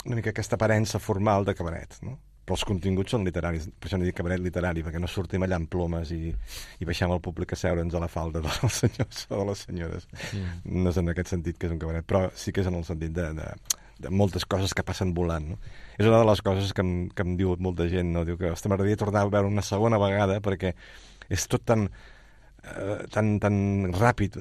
una mica aquesta aparença formal de cabaret, no? Però els continguts són literaris, per això no dic cabaret literari, perquè no sortim allà amb plomes i, i baixem al públic a seure'ns a la falda dels senyors o de les senyores. Mm. No és en aquest sentit que és un cabaret, però sí que és en el sentit de, de, de moltes coses que passen volant, no? És una de les coses que em, que em diu molta gent, no? Diu que, ostres, m'agradaria tornar a veure una segona vegada perquè és tot tan... Uh, tan, tan ràpid,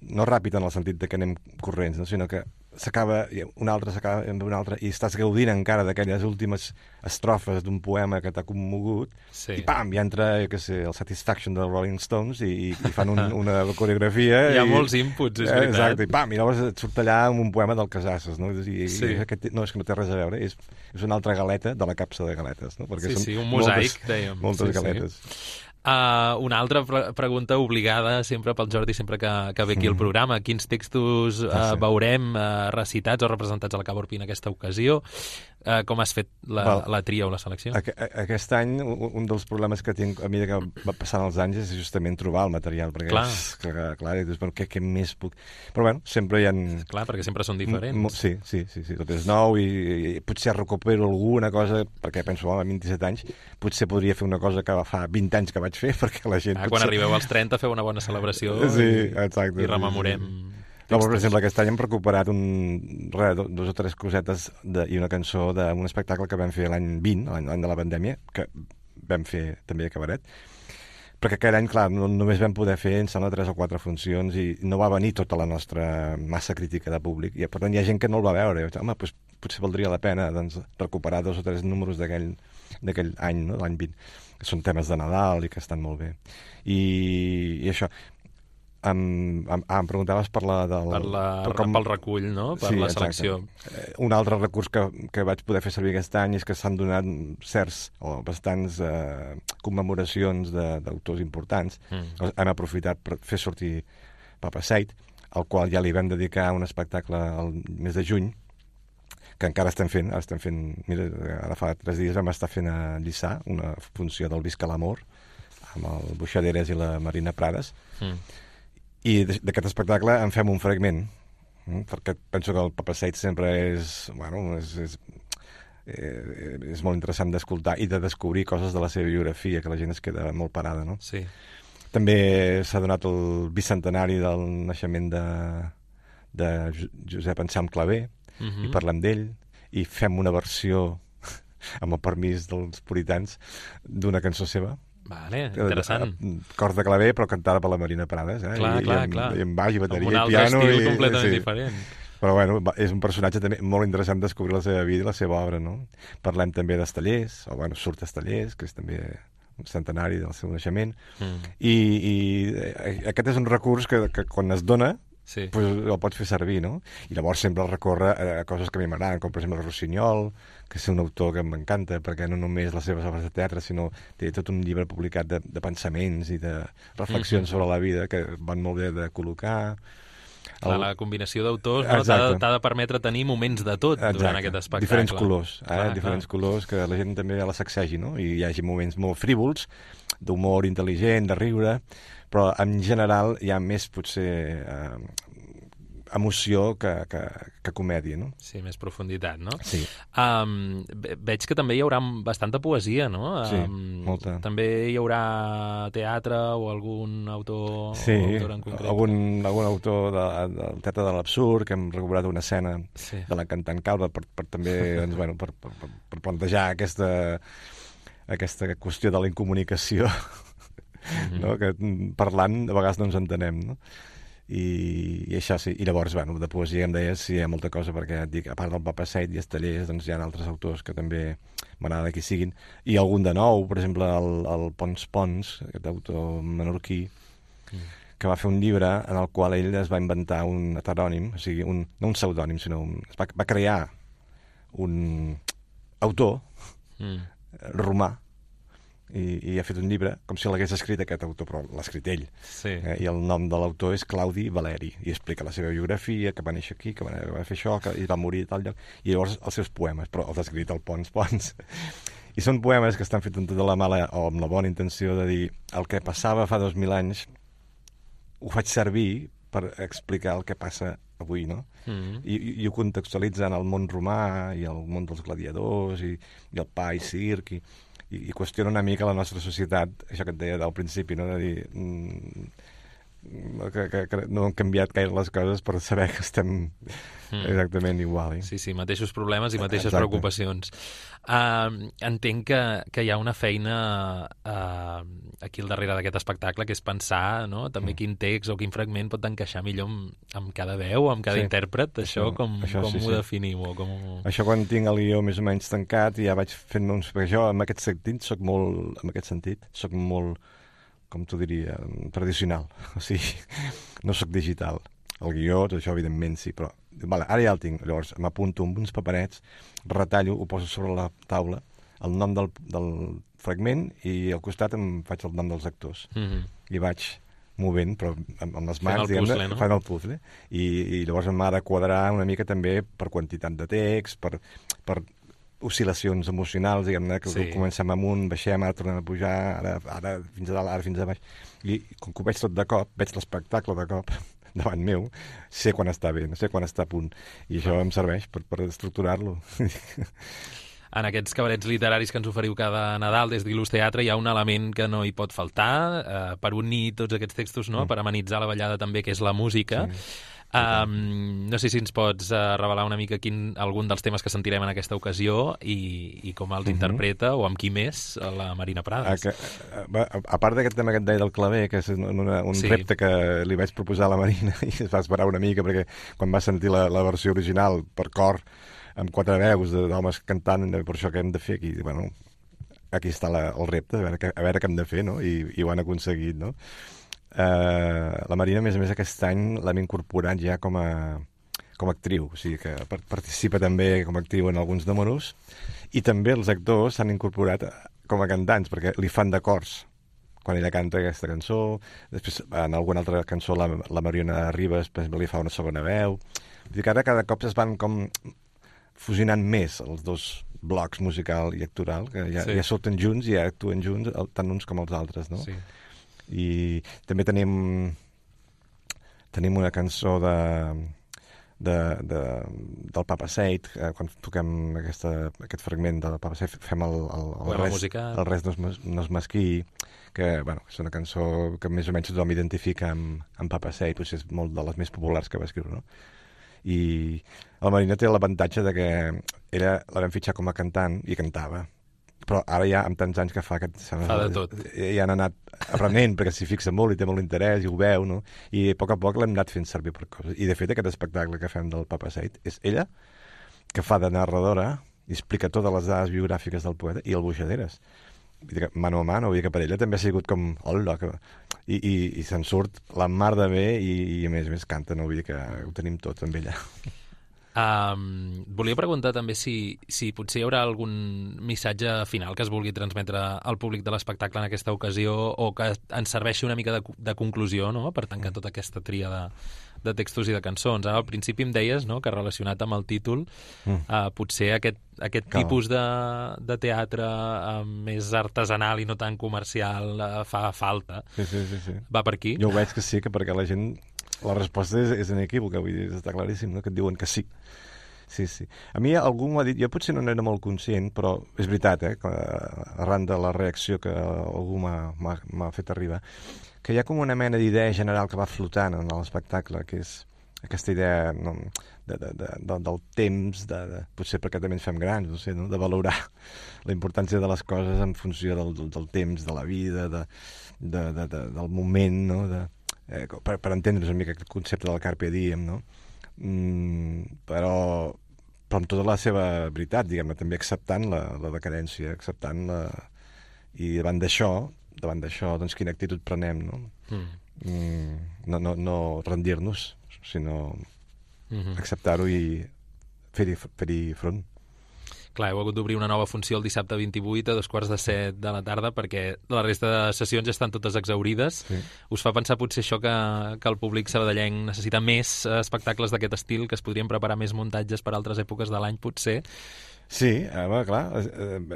no ràpid en el sentit de que anem corrents, no? Sinó que s'acaba, una altra s'acaba amb una altra, i estàs gaudint encara d'aquelles últimes estrofes d'un poema que t'ha commogut, sí. i pam, ja entra, jo què sé, el Satisfaction dels Rolling Stones i, i fan un, una coreografia. Hi ha i, molts inputs, és veritat. Exacte, i pam, i llavors et surt allà amb un poema del Casasses, no? I, sí. i aquest, no, és que no té res a veure, és, és una altra galeta de la capsa de galetes, no? Perquè sí, són sí, un mosaic, moltes, dèiem. moltes sí, galetes. Sí. Uh, una altra pre pregunta obligada sempre pel Jordi, sempre que, que ve aquí al Mm. programa. Quins textos uh, Ah, sí. veurem uh, recitats o representats a la Cava Orpí en aquesta ocasió? Uh, com has fet la, Val. la tria o la selecció? Aqu aquest any, un un dels problemes que tinc a mesura que va passant els anys és justament trobar el material, perquè Clar. és, que, clar, i dius, bueno, què, què més puc... Però bueno, sempre hi ha... Clar, perquè sempre són diferents. Sí, sí, sí, sí, tot és nou i, i potser recupero alguna cosa, perquè penso, oh, a vint-i-set anys, potser podria fer una cosa que fa vint anys que vaig fer, perquè la gent... Ah, potser... quan arribeu als trenta feu una bona celebració sí, i, exacte, i rememorem... Sí, sí. No, però, per exemple, aquest any hem recuperat un, res, dos o tres cosetes de, i una cançó d'un espectacle que vam fer l'any vint, l'any de la pandèmia, que vam fer també a Cabaret, perquè aquell any, clar, no, només vam poder fer, em sembla, tres o quatre funcions i no va venir tota la nostra massa crítica de públic. I, per tant, hi ha gent que no el va veure. I vaig dir, home, doncs, potser valdria la pena doncs, recuperar dos o tres números d'aquell any, no? L'any vint, que són temes de Nadal i que estan molt bé. I, i això... Em, em, ah, em preguntaves per la... Del, per la per com... pel recull, no? Per sí, la exacte. selecció. Eh, un altre recurs que, que vaig poder fer servir aquest any és que s'han donat certs o bastants eh, commemoracions d'autors importants. Mm. Hem aprofitat per fer sortir Papa Seid, al qual ja li vam dedicar un espectacle al mes de juny, que encara estem fent, ara estem fent, mira, ara fa tres dies vam estar fent a Lliçà una funció del Visca l'Amor, amb el Buixaderes i la Marina Prades, mm. i d'aquest espectacle en fem un fragment, eh? Perquè penso que el Papa Seid sempre és, bueno, és, és, eh, és molt interessant d'escoltar i de descobrir coses de la seva biografia, que la gent es queda molt parada, no? Sí. També s'ha donat el bicentenari del naixement de, de Josep Anselm Clavé, uh-huh. i parlem d'ell, i fem una versió, amb el permís dels puritans, d'una cançó seva. Vale, interessant. Cors de claver, però cantada per la Marina Prades, eh? Clar, I, clar, i amb, clar. I amb baix, i bateria, i piano. Amb un altre altre estil i, completament sí. diferent. Però bueno, és un personatge també molt interessant descobrir la seva vida i la seva obra, no? Parlem també d'Estellers, o bueno, surt Estellers, que és també un centenari del seu naixement, mm. i, i aquest és un recurs que, que quan es dona, sí. pues, el pots fer servir, no? I llavors sempre recorre a coses que a mi m'agraden, com per exemple Rossinyol, que és un autor que m'encanta, perquè no només les seves obres de teatre, sinó té tot un llibre publicat de, de pensaments i de reflexions mm-hmm. sobre la vida que van molt bé de col·locar. Clar, el... La combinació d'autors no, t'ha de, de permetre tenir moments de tot Exacte. Durant aquest espectacle. Diferents colors, eh? Clar, diferents clar. colors, que la gent també la sacsegi, no? I hi hagi moments molt frívols, d'humor intel·ligent, de riure, però en general hi ha més, potser, eh, emoció que, que, que comèdia, no? Sí, més profunditat, no? Sí. Um, veig que també hi haurà bastanta poesia, no? Sí, um, molta. També hi haurà teatre o algun autor, sí, autor en concret? algun, algun autor de, del Teatre de l'Absurd, que hem recuperat una escena sí. de la cantant Calva per, per també doncs, bueno, per, per, per plantejar aquesta, aquesta qüestió de la incomunicació, mm-hmm. no? Que parlant a vegades no ens entenem, no? I, i això sí, i llavors, bueno, de poesia em deies, sí, hi ha molta cosa, perquè et dic, a part del Papa Seid i Estellers, doncs hi ha altres autors que també m'agrada que hi siguin, i algun de nou, per exemple, el, el Pons Pons, aquest autor menorquí, mm. que va fer un llibre en el qual ell es va inventar un heterònim, o sigui, un, no un pseudònim, sinó un, va, va crear un autor mm. romà, I, i ha fet un llibre com si l'hagués escrit aquest autor, però l'ha escrit ell. Sí. Eh? I el nom de l'autor és Claudi Valeri, i explica la seva biografia, que va néixer aquí, que va, que va fer això, que i va morir a tal lloc, i llavors els seus poemes, però els ha escrit el Pons Pons. I són poemes que estan fets amb tota la mala o amb la bona intenció de dir el que passava fa dos mil anys ho faig servir per explicar el que passa avui, no? Mm-hmm. I, i, i ho contextualitza en el món romà i el món dels gladiadors i, i el pa i circ i I, i qüestiona una mica la nostra societat, això que et deia al principi, no? De dir, mm, que, que, que no han canviat gaire les coses per saber que estem mm. exactament igual. Eh? Sí, sí, mateixos problemes i mateixes Exacte. preocupacions. Uh, entenc que, que hi ha una feina uh, aquí al darrere d'aquest espectacle, que és pensar, no?, també mm. quin text o quin fragment pot encaixar millor amb, amb cada veu, amb cada sí. intèrpret. Això, això com, això, com sí, ho sí. definiu? O com... Això quan tinc el guió més o menys tancat ja vaig fent uns... Perquè jo, en aquest sentit, soc molt... En aquest sentit, soc molt, com t'ho diria, tradicional. O sigui, no soc digital. El guió, això evidentment sí, però vale, ara ja el tinc. Llavors m'apunto amb uns paperets, retallo, ho poso sobre la taula, el nom del, del fragment, i al costat em faig el nom dels actors. Mm-hmm. I vaig movent, però amb, amb les mans, diguem-ne, no? Fan el puzzle. I, i llavors m'ha de quadrar una mica també per quantitat de text, per, per oscil·lacions emocionals, diguem-ne, que sí. comencem amunt, baixem, ara tornem a pujar, ara, ara fins a dalt, ara fins a baix. I com que ho veig tot de cop, veig l'espectacle de cop, davant meu, sé quan està bé, no sé quan està a punt. I això em serveix per, per estructurar-lo. En aquests cabarets literaris que ens oferiu cada Nadal des d'Il·lus Teatre hi ha un element que no hi pot faltar, eh, per unir tots aquests textos, no?, mm. per amenitzar la ballada també, que és la música. Sí. Um, no sé si ens pots uh, revelar una mica quin, algun dels temes que sentirem en aquesta ocasió i, i com els uh-huh. interpreta, o amb qui més, la Marina Prades. A, que, a, a part d'aquest tema que et deia del claver, que és una, un sí. repte que li vaig proposar a la Marina i es va esperar una mica, perquè quan va sentir la, la versió original per cor, amb quatre veus d'homes cantant, per això que hem de fer aquí, bueno, aquí està la, el repte, a veure, que, a veure què hem de fer, no? I, i ho han aconseguit, no? Uh, la Marina, a més a més, aquest any l'hem incorporat ja com a, com a actriu, o sigui que participa també com a actriu en alguns números, i també els actors s'han incorporat com a cantants, perquè li fan de cors quan ella canta aquesta cançó. Després, en alguna altra cançó, la, la Mariona Ribas li fa una segona veu. Vull dir que ara cada cop es van com fusionant més els dos blocs, musical i actoral, que ja, sí. ja surten junts i ja actuen junts, tant uns com els altres, no? Sí. I també tenim tenim una cançó de, de, de, del Papa Seid, eh, quan toquem aquesta, aquest fragment del Papa Seid, fem el, el, el, res, el res no es, no es mesquí, que bueno, és una cançó que més o menys tothom identifica amb, amb Papa Seid, potser és molt de les més populars que va escriure, no? I el Marina té l'avantatge de que ella la vam fitxar com a cantant i cantava, però ara ja amb tants anys que fa que fa de tot. Ja han anat aprenent, perquè s'hi fixa molt i té molt interès i ho veu, no? I a poc a poc l'hem anat fent servir per coses. I de fet aquest espectacle que fem del Papa Seid és ella que fa de narradora i explica totes les dades biogràfiques del poeta i el Boixaderes. Vull dir que mano a mano, vull dir que per ella també ha sigut com hola, que... i, i, i se'n surt la mar de bé i, i a més a més canta, no? Vull dir que ho tenim tot amb ella. Um, volia preguntar també si, si potser hi haurà algun missatge final que es vulgui transmetre al públic de l'espectacle en aquesta ocasió, o que ens serveixi una mica de, de conclusió, no?, per tancar tota aquesta tria de, de textos i de cançons. Ara al principi em deies, no?, que relacionat amb el títol mm. uh, potser aquest, aquest tipus de, de teatre uh, més artesanal i no tan comercial uh, fa falta. Sí, sí, sí, sí. Va per aquí? Jo ho veig que sí, que perquè la gent... La resposta és, és inequívoca, vull dir, està claríssim, no?, que et diuen que sí. Sí, sí. A mi algú m'ho ha dit, jo potser no n'era molt conscient, però és veritat, eh, que, arran de la reacció que algú m'ha fet arribar, que hi ha com una mena d'idea general que va flotant en l'espectacle, que és aquesta idea no, de, de, de, de, del temps, de, de, potser perquè també ens fem grans, no sé, no?, de valorar la importància de les coses en funció del, del, del temps, de la vida, de, de, de, de, del moment, no?, de, eh, per, per entendre's una mica el concepte del Carpe Diem, no?, mm, però, però amb tota la seva veritat, diguem-ne, també acceptant la, la decadència, acceptant la... I davant d'això, davant d'això, doncs quina actitud prenem, no? Mm. Mm, no, no, no rendir-nos, sinó mm-hmm. acceptar-ho i fer-hi fer-hi front. Clar, heu hagut d'obrir una nova funció el dissabte vint-i-vuit a dos quarts de set de la tarda perquè la resta de sessions ja estan totes exaurides. Sí. Us fa pensar potser això que, que el públic sabadellenc necessita més espectacles d'aquest estil, que es podrien preparar més muntatges per altres èpoques de l'any, potser? Sí, home, clar,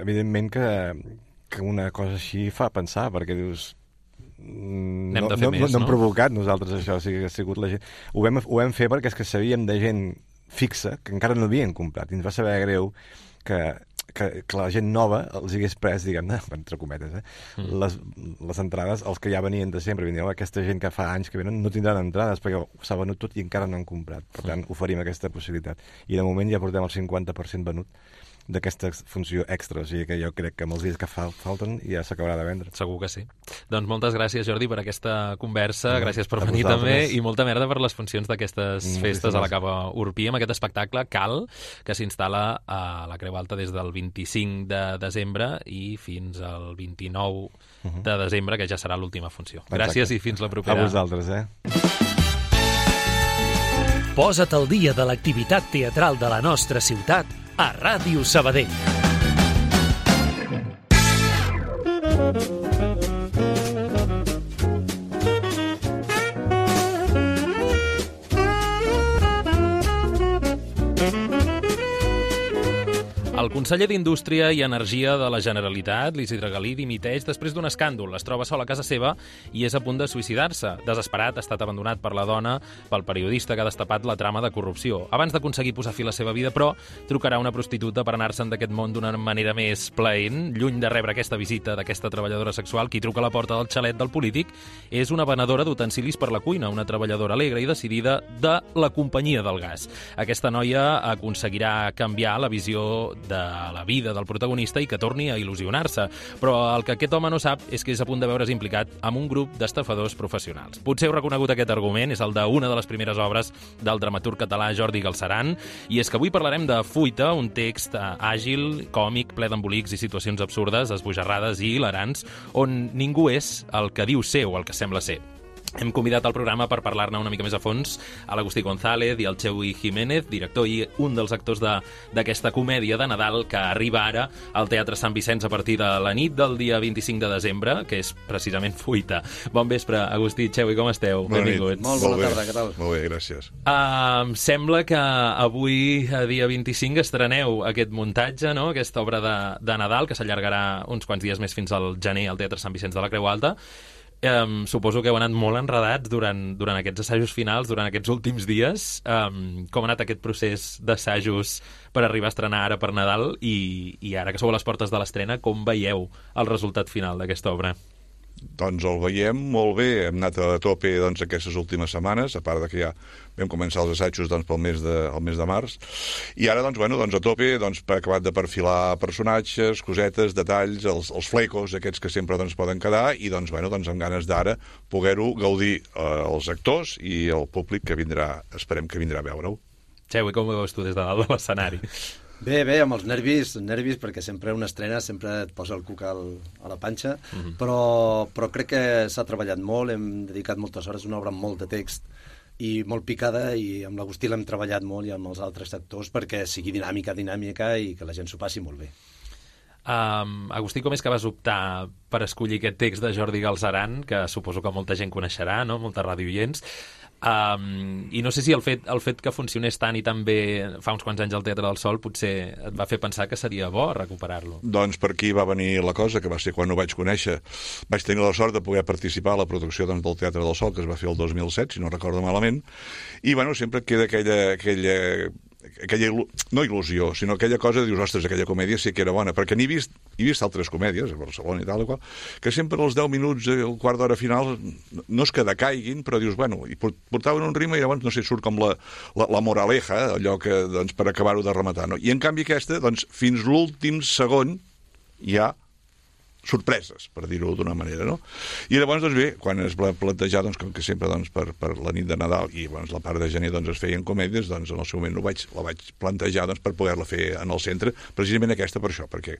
evidentment que, que una cosa així fa pensar, perquè dius... N'hem no, de fer no, més, no? No hem provocat nosaltres això, o sigui, ha sigut la gent... Ho vam, ho vam fer perquè és que sabíem de gent fixa que encara no havien comprat i ens va saber greu que que, que la gent nova els hagués pres, diguem-ne, entre cometes, eh? Mm. Les, les entrades, els que ja venien de sempre, venien, aquesta gent que fa anys que venen no tindran entrades perquè s'ha venut tot i encara no han comprat. Per tant, mm. oferim aquesta possibilitat. I de moment ja portem el cinquanta per cent venut d'aquesta funció extra, o sigui que jo crec que amb els dies que fal falten ja s'acabarà de vendre. Segur que sí. Doncs moltes gràcies, Jordi, per aquesta conversa, no, gràcies per venir vosaltres. també, i molta merda per les funcions d'aquestes mm, festes a la Cava Urpí, amb aquest espectacle Cal, que s'instal·la a la Creu Alta des del vint-i-cinc de desembre i fins al vint-i-nou uh-huh. de desembre, que ja serà l'última funció. Exacte. Gràcies i fins la propera. A vosaltres, eh? Posa't al dia de l'activitat teatral de la nostra ciutat a Ràdio Sabadell. El conseller d'Indústria i Energia de la Generalitat, l'Isidre Galí, dimiteix després d'un escàndol. Es troba sol a casa seva i és a punt de suïcidar-se. Desesperat, ha estat abandonat per la dona, pel periodista que ha destapat la trama de corrupció. Abans d'aconseguir posar fi a la seva vida, però, trucarà una prostituta per anar-se'n d'aquest món d'una manera més plaent. Lluny de rebre aquesta visita d'aquesta treballadora sexual, qui truca a la porta del xalet del polític és una venedora d'utensilis per la cuina, una treballadora alegre i decidida de la companyia del gas. Aquesta noia aconseguirà canviar la visió de la vida del protagonista i que torni a il·lusionar-se. Però el que aquest home no sap és que és a punt de veure's implicat amb un grup d'estafadors professionals. Potser heu reconegut aquest argument, és el d'una de les primeres obres del dramaturg català Jordi Galceran, i és que avui parlarem de Fuita, un text àgil, còmic, ple d'embolics i situacions absurdes, esbojarrades i hilarants, on ningú és el que diu ser o el que sembla ser. Hem convidat al programa per parlar-ne una mica més a fons a l'Agustí González i al Xeui Jiménez, director i un dels actors d'aquesta comèdia de Nadal que arriba ara al Teatre Sant Vicenç a partir de la nit del dia vint-i-cinc de desembre, que és precisament Fuita. Bon vespre, Agustí, Xeui, com esteu? Bona Benvinguts. Nit. Molt bona Molt tarda, què tal? Molt bé, gràcies. Uh, em sembla que avui, a dia vint-i-cinc, estreneu aquest muntatge, no? Aquesta obra de, de Nadal, que s'allargarà uns quants dies més fins al gener al Teatre Sant Vicenç de la Creu Alta. Um, suposo que heu anat molt enredats durant, durant aquests assajos finals, durant aquests últims dies. Um, com ha anat aquest procés d'assajos per arribar a estrenar ara per Nadal i, i ara que sou a les portes de l'estrena, com veieu el resultat final d'aquesta obra? Doncs el veiem molt bé, hem anat a tope doncs, aquestes últimes setmanes, a part de que ja vam començar els assajos doncs, pel mes de, el mes de març, i ara doncs, bueno, doncs, a tope doncs, per acabat de perfilar personatges, cosetes, detalls, els, els flecos aquests que sempre doncs, poden quedar, i doncs, bueno, doncs, amb ganes d'ara poder-ho gaudir eh, els actors i el públic que vindrà, esperem que vindrà a veure-ho. Xeui, com ho veus tu des de dalt de l'escenari? Bé, bé, amb els nervis, nervis perquè sempre una estrena sempre et posa el cuc al, a la panxa, mm-hmm. però, però crec que s'ha treballat molt, hem dedicat moltes hores, una obra amb molt de text i molt picada, i amb l'Agustí l'hem treballat molt i amb els altres actors perquè sigui dinàmica, dinàmica i que la gent s'ho passi molt bé. Um, Agustí, com és que vas optar per escollir aquest text de Jordi Galceran, que suposo que molta gent coneixerà, no? Moltes radioients? Um, i no sé si el fet, el fet que funcionés tant i tan bé fa uns quants anys al Teatre del Sol potser et va fer pensar que seria bo recuperar-lo. Doncs per aquí va venir la cosa, que va ser quan ho vaig conèixer. Vaig tenir la sort de poder participar a la producció doncs, del Teatre del Sol, que es va fer el dos mil set, si no recordo malament, i bueno, sempre queda aquella... aquella aquella, no il·lusió, sinó aquella cosa de dius, ostres, aquella comèdia sí que era bona, perquè n'he vist, he vist altres comèdies a Barcelona i tal, qual, que sempre als deu minuts, el quart d'hora final, no és que decaiguin, però dius, bueno, i portaven un ritme i llavors, no sé, surt com la, la, la moraleja, allò que, doncs, per acabar-ho de rematar, no? I en canvi aquesta, doncs, fins l'últim segon hi ha sorpreses, per dir-ho d'una manera, no? I llavors, doncs bé, quan es va plantejar, doncs, com que sempre, doncs, per, per la nit de Nadal i doncs, la part de gener, doncs, es feien comèdies, doncs, en el seu moment ho vaig, la vaig plantejar, doncs, per poder-la fer en el centre, precisament aquesta per això, perquè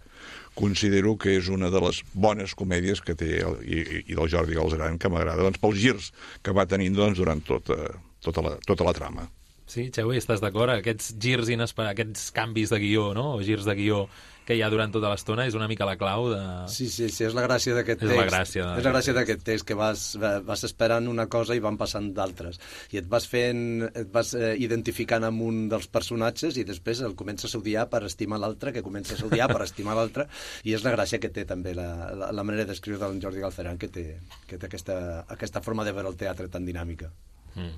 considero que és una de les bones comèdies que té, el, i, i del Jordi Galceran, que m'agrada, doncs, pels girs que va tenint, doncs, durant tota, tota, la, tota la trama. Sí, Xeui, estàs d'acord? Aquests girs inesperats, aquests canvis de guió, no?, o girs de guió que hi ha durant tota l'estona, és una mica la clau de... Sí, sí, sí, és la gràcia d'aquest text. És la gràcia, és la gràcia d'aquest text, que vas, vas esperant una cosa i van passant d'altres. I et vas fent, et vas eh, identificant amb un dels personatges i després el comences a odiar per estimar l'altre, que comences a odiar per estimar l'altre, i és la gràcia que té també la, la, la manera d'escriure del Jordi Galceran, que té, que té aquesta, aquesta forma de veure el teatre tan dinàmica. Mm.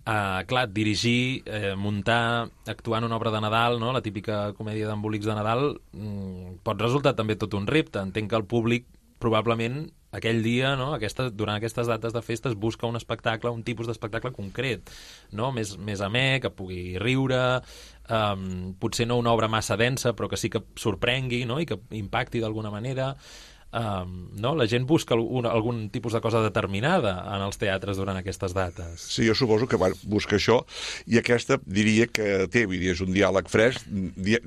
Uh, clar, dirigir, eh, muntar, actuar en una obra de Nadal, no? La típica comèdia d'embolics de Nadal, mm, pot resultar també tot un repte. Entenc que el públic probablement aquell dia, no? Aquesta, durant aquestes dates de festes, busca un espectacle, un tipus d'espectacle concret, no? Més, més amè, que pugui riure, um, potser no una obra massa densa, però que sí que sorprengui, no? I que impacti d'alguna manera. Um, no? La gent busca algun, algun tipus de cosa determinada en els teatres durant aquestes dates. Sí, jo suposo que bueno, busca això, i aquesta diria que té, vull dir, és un diàleg fresc, di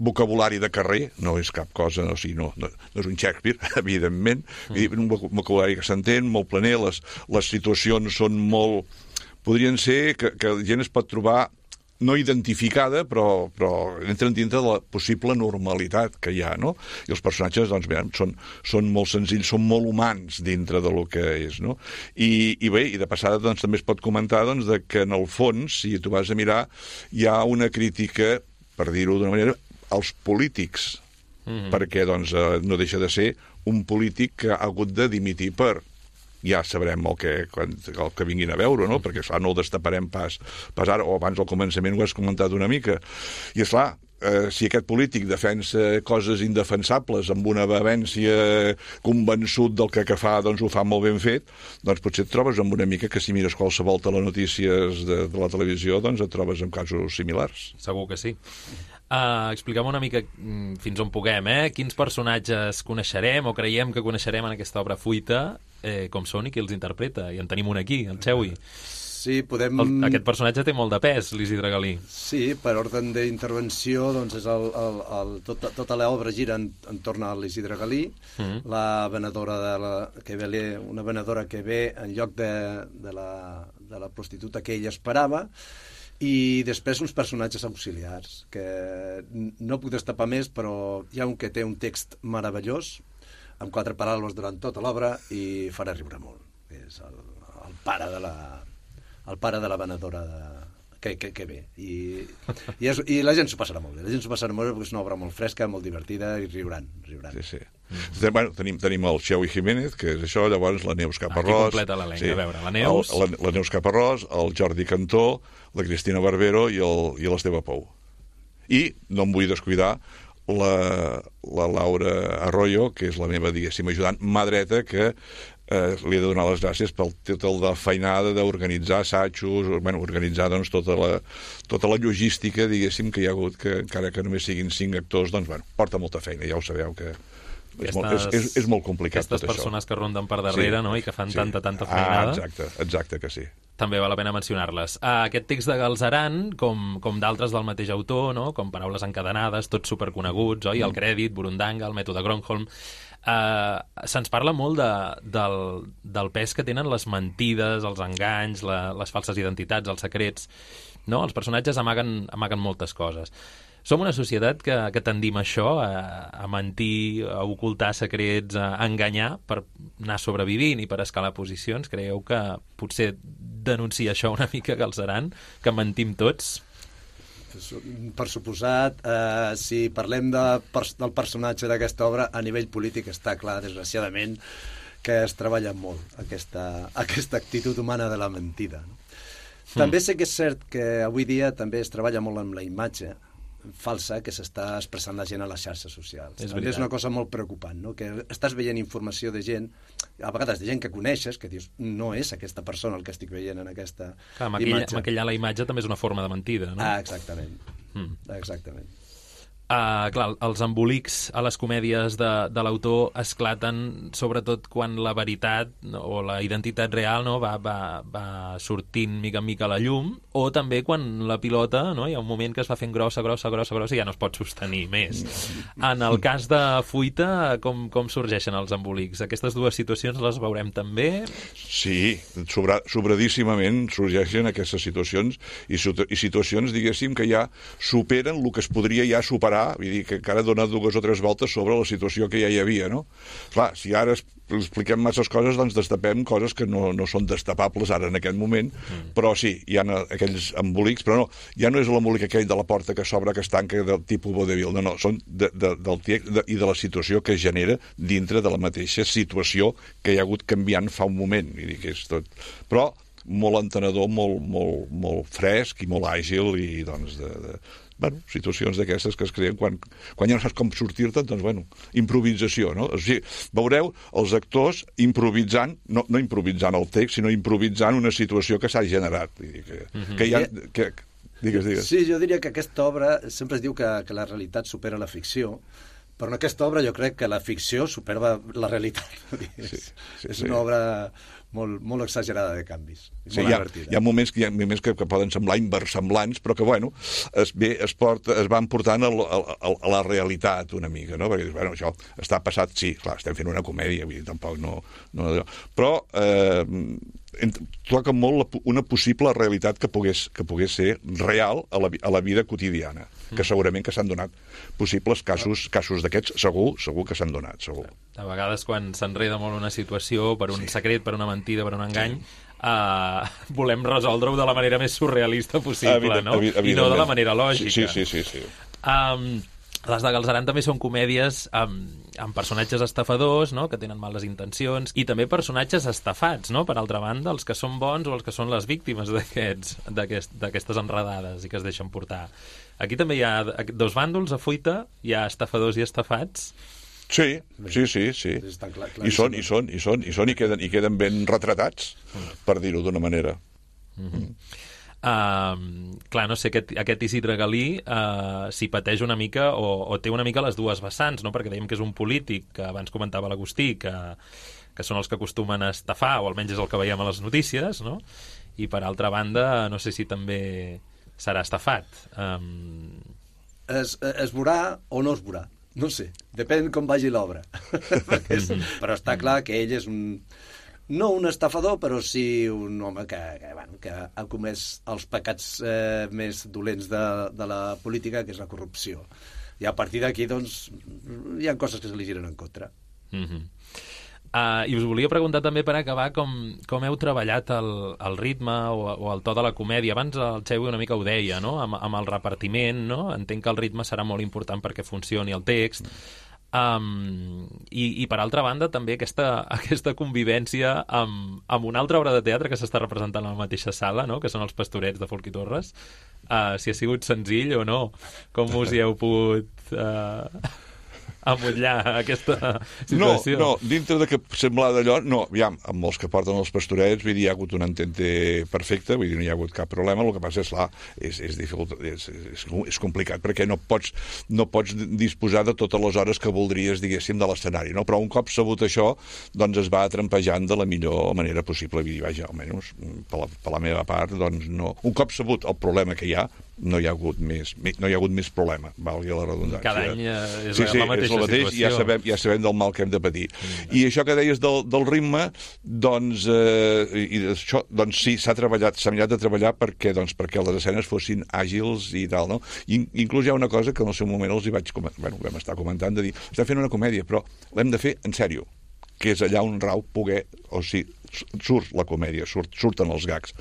vocabulari de carrer, no és cap cosa, no, o sigui, no, no, no és un Shakespeare, evidentment, mm. un vocabulari que s'entén, molt planer, les, les situacions són molt... Podrien ser que, que la gent es pot trobar no identificada, però, però entren dintre de la possible normalitat que hi ha, no? I els personatges, doncs, bé, són, són molt senzills, són molt humans dintre de lo que és, no? I, i bé, i de passada, doncs, també es pot comentar, doncs, de que en el fons, si tu vas a mirar, hi ha una crítica, per dir-ho d'una manera, als polítics, mm-hmm. perquè, doncs, no deixa de ser un polític que ha hagut de dimitir per... ja sabrem el que, el que vinguin a veure, no? Perquè, esclar, no el destaparem pas, pas ara, o abans al començament ho has comentat una mica. I, esclar, eh, si aquest polític defensa coses indefensables amb una vehemència convençut del que, que fa, doncs ho fa molt ben fet, doncs potser et trobes amb una mica que si mires qualsevol telenotícies de, de la televisió, doncs et trobes amb casos similars. Segur que sí. Uh, expliquem una mica fins on puguem, eh? Quins personatges coneixerem o creiem que coneixerem en aquesta obra Fuita, eh, com són i qui els interpreta. I en tenim un aquí, el Xeui. Sí, podem... El, aquest personatge té molt de pes, l'Isidre Galí. Sí, per ordre d'intervenció, doncs és el, el, el, tota, tota l'obra gira en, entorn a l'Isidre Galí, mm-hmm. la venedora de la, que ve, una venedora que ve en lloc de, de, la, de la prostituta que ella esperava, i després uns personatges auxiliars, que no puc destapar més, però hi ha un que té un text meravellós, amb quatre paraules durant tota l'obra, i farà riure molt. És el, el pare de la, el pare de la venedora de, que, que, que ve. I, i, és, I la gent s'ho passarà molt bé. La gent s'ho passarà molt bé perquè és una obra molt fresca, molt divertida, i riuran. riuran. Sí, sí. Mm-hmm. Bueno, tenim, tenim el Xeui Jiménez, que és això, llavors la Neus Caparrós... Aquí completa l'elenc, sí. A veure, la Neus... El, la, la Neus Caparrós, el Jordi Cantó, la Cristina Barbero i l'Esteve Pou. I no em vull descuidar la, la Laura Arroyo, que és la meva, diguéssim, ajudant, mà dreta, que eh, li he de donar les gràcies pel títol de feinada d'organitzar assajos, bueno, organitzar doncs, tota, la, tota la logística, diguéssim, que hi ha hagut, que encara que només siguin cinc actors, doncs, bueno, porta molta feina, ja ho sabeu que... És, aquestes, molt, és, és, és molt complicat tot això. Aquestes persones que ronden per darrere, sí, no?, i que fan sí. tanta, tanta feinada. Ah, exacte, exacte que sí. També val la pena mencionar-les. Uh, aquest text de Galzeran, com, com d'altres del mateix autor, no?, com Paraules encadenades, tots superconeguts, oi? Mm. El crèdit, Burundanga, el mètode Gronholm... Uh, se'ns parla molt de, del, del pes que tenen les mentides, els enganys, la, les falses identitats, els secrets, no? Els personatges amaguen, amaguen moltes coses. Som una societat que, que tendim a això, a, a mentir, a ocultar secrets, a enganyar per anar sobrevivint i per escalar posicions. Creieu que potser denuncia això una mica Galzeran, que mentim tots? Per suposat, eh, si parlem de, del personatge d'aquesta obra, a nivell polític està clar, desgraciadament, que es treballa molt aquesta, aquesta actitud humana de la mentida. També sé que és cert que avui dia també es treballa molt amb la imatge falsa que s'està expressant la gent a les xarxes socials. És, és una cosa molt preocupant, no? Que estàs veient informació de gent, a vegades de gent que coneixes, que dius, no és aquesta persona el que estic veient en aquesta Clar, maquilla, imatge. Maquillar la imatge també és una forma de mentida, no? Ah, exactament. Mm. Exactament. Uh, clar, els embolics a les comèdies de, de l'autor esclaten sobretot quan la veritat no, o la identitat real no, va, va, va sortint mica en mica a la llum, o també quan la pilota, no, hi ha un moment que es va fent grossa, grossa, grossa, grossa i ja no es pot sostenir més. En el cas de Fuita, com, com sorgeixen els embolics? Aquestes dues situacions les veurem també? Sí, sobra, sobradíssimament sorgeixen aquestes situacions i, i situacions, diguéssim, que ja superen el que es podria ja superar, vull dir que encara dona dues o tres voltes sobre la situació que ja hi havia, no? Clar, si ara expliquem masses coses, doncs destapem coses que no, no són destapables ara en aquest moment, mm. però sí, hi ha aquells embolics, però no, ja no és l'embolic aquell de la porta que s'obre, que es tanca del tipus vodevil, no, no, són de, de, del text de, i de la situació que es genera dintre de la mateixa situació que hi ha hagut canviant fa un moment, vull dir que és tot... Però molt entenedor, molt, molt, molt fresc i molt àgil i, doncs, de... de bueno, situacions d'aquestes que es creen quan, quan ja no saps com sortir-te, doncs, bueno, improvisació, no? O sigui, veureu els actors improvisant, no, no improvisant el text, sinó improvisant una situació que s'ha generat. Vull dir que, mm-hmm. que hi ha... Que, digues, digues. Sí, jo diria que aquesta obra sempre es diu que, que la realitat supera la ficció, però en aquesta obra jo crec que la ficció supera la realitat. Sí, sí, és sí. una obra molt, molt exagerada de canvis. Sí, hi, ha, hi ha moments, que, hi ha moments que, que poden semblar inversemblants, però que, bueno, es, bé, es, porta, es van portant a, a, a la realitat una mica, no? Perquè, bueno, això està passat, sí, clar, estem fent una comèdia, vull dir, tampoc no... no però eh, toca molt una possible realitat que pogués, que pogués ser real a la, a la vida quotidiana, que segurament que s'han donat possibles casos, casos d'aquests, segur, segur que s'han donat, segur. A vegades, quan s'enreda molt una situació, per un sí. secret, per una mentida, per un engany, sí. uh, volem resoldre-ho de la manera més surrealista possible, evident, no? Evident, I no de la manera lògica. Sí, sí, sí. sí, sí. Um, les de Galzeran també són comèdies amb, amb personatges estafadors, no?, que tenen males intencions, i també personatges estafats, no?, per altra banda, els que són bons o els que són les víctimes d'aquestes d'aquest, d'aquestes enredades i que es deixen portar. Aquí també hi ha dos bàndols a fuita, hi ha estafadors i estafats. Sí, sí, sí, sí. Clar, I són, i són, i són, i són, i queden, i queden ben retratats, per dir-ho d'una manera. Mm-hmm. Uh, clar, no sé, aquest, aquest Isidre Galí uh, s'hi pateix una mica o, o té una mica les dues vessants, no? Perquè dèiem que és un polític, que abans comentava l'Agustí, que, que són els que acostumen a estafar, o almenys és el que veiem a les notícies, no? I per altra banda, no sé si també serà estafat. Um... Es, es veurà o no es veurà, no sé, depèn com vagi l'obra. és... Però està clar que ell és un... no un estafador, però sí un home que, que, bueno, que ha comès els pecats eh, més dolents de, de la política, que és la corrupció. I a partir d'aquí, doncs, hi ha coses que se li giren en contra. Mm-hmm. Uh, I us volia preguntar també, per acabar, com, com heu treballat el, el ritme o, o el to de la comèdia. Abans el Xevi una mica ho deia, no?, amb, amb el repartiment, no? Entenc que el ritme serà molt important perquè funcioni el text. Um, i, i per altra banda també aquesta, aquesta convivència amb, amb una altra obra de teatre que s'està representant a la mateixa sala, no?, que són els Pastorets de Folch i Torres. Uh, si ha sigut senzill o no, com us hi heu pogut uh, amollar aquesta situació? No, no, dintre de que sembla d'allò, no, aviam, amb els que porten els Pastorets, vull dir, hi ha hagut un entente perfecte, vull dir, no hi ha hagut cap problema. El que passa és, clar, és, és, dificult, és, és, és complicat, perquè no pots, no pots disposar de totes les hores que voldries, diguéssim, de l'escenari, no? Però un cop sabut això, doncs es va trampejant de la millor manera possible. Vull dir, vaja, almenys, per la, per la meva part, doncs no. Un cop sabut el problema que hi ha, no hi ha hagut més, no hi ha hagut més problema, valgui la redundància. Cada any és sí, sí, la mateixa és el mateix, situació. Ja sabem, ja sabem del mal que hem de patir. Mm. I això que deies del, del ritme, doncs, eh, i això, doncs sí, s'ha treballat, s'ha mirat de treballar perquè, doncs, perquè les escenes fossin àgils i tal, no? I, inclús hi ha una cosa que en el seu moment els hi vaig comentar, bueno, vam estar comentant, de dir, estem fent una comèdia, però l'hem de fer en sèrio, que és allà on rau poder, o sigui, surt la comèdia, surt, surten els gags.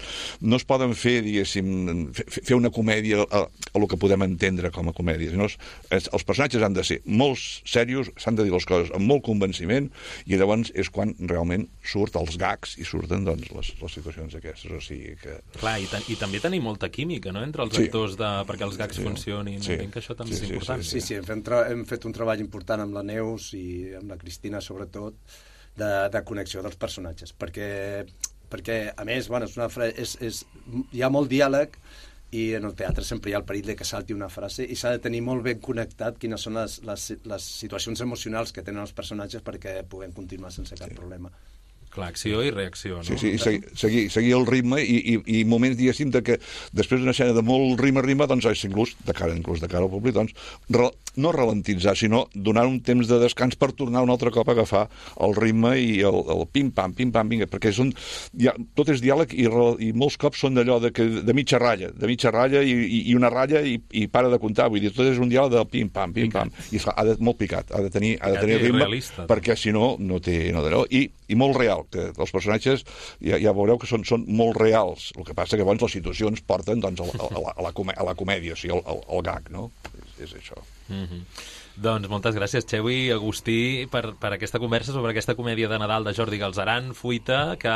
No es poden fer, diguéssim, fer una comèdia a, a el que podem entendre com a comèdia. No és, és, els personatges han de ser molt serios, s'han de dir les coses amb molt convenciment, i llavors és quan realment surt els gags i surten, doncs, les, les situacions aquestes. O sigui que... Clar, i, ta i també tenim molta química, no?, entre els sí. actors, de, perquè els gags sí. funcionin. Sí. Entenc que això també sí, és important. Sí, sí, sí. Hem, fet hem fet un treball important amb la Neus i amb la Cristina, sobretot, de, de connexió dels personatges, perquè, perquè a més, bueno, és una fra... és, és... hi ha molt diàleg i en el teatre sempre hi ha el perill de que salti una frase i s'ha de tenir molt ben connectat quines són les, les, les situacions emocionals que tenen els personatges perquè puguem continuar sense cap sí. problema. Clar, acció i reacció, no? Sí, sí, seguir, seguir, seguir el ritme i, i, i moments, diguéssim, de que després d'una escena de molt rima-rima, doncs, inclús de cara, inclús de cara al públic, doncs, re, no ralentitzar, sinó donar un temps de descans per tornar un altre cop a agafar el ritme i el, el pim-pam, pim-pam, vinga, perquè són, ja, tot és diàleg i, i molts cops són d'allò de, que, de mitja ratlla, de mitja ratlla i, i, i una ratlla i, i para de comptar, vull dir, tot és un diàleg de pim-pam, pim-pam, i esclar, ha de, molt picat, ha de tenir, ha de tenir ritme, realista, perquè si no, no té, no d'allò, i, i molt real, que els personatges ja, ja veureu que són, són molt reals. El que passa que llavors les situacions porten doncs, a, la, a, la, a, la, a la comèdia, o sigui, el, el, el gag, no? És, és això. Mm-hmm. Doncs moltes gràcies, Xevi i Agustí, per, per aquesta conversa sobre aquesta comèdia de Nadal de Jordi Galzeran, Fuita, que,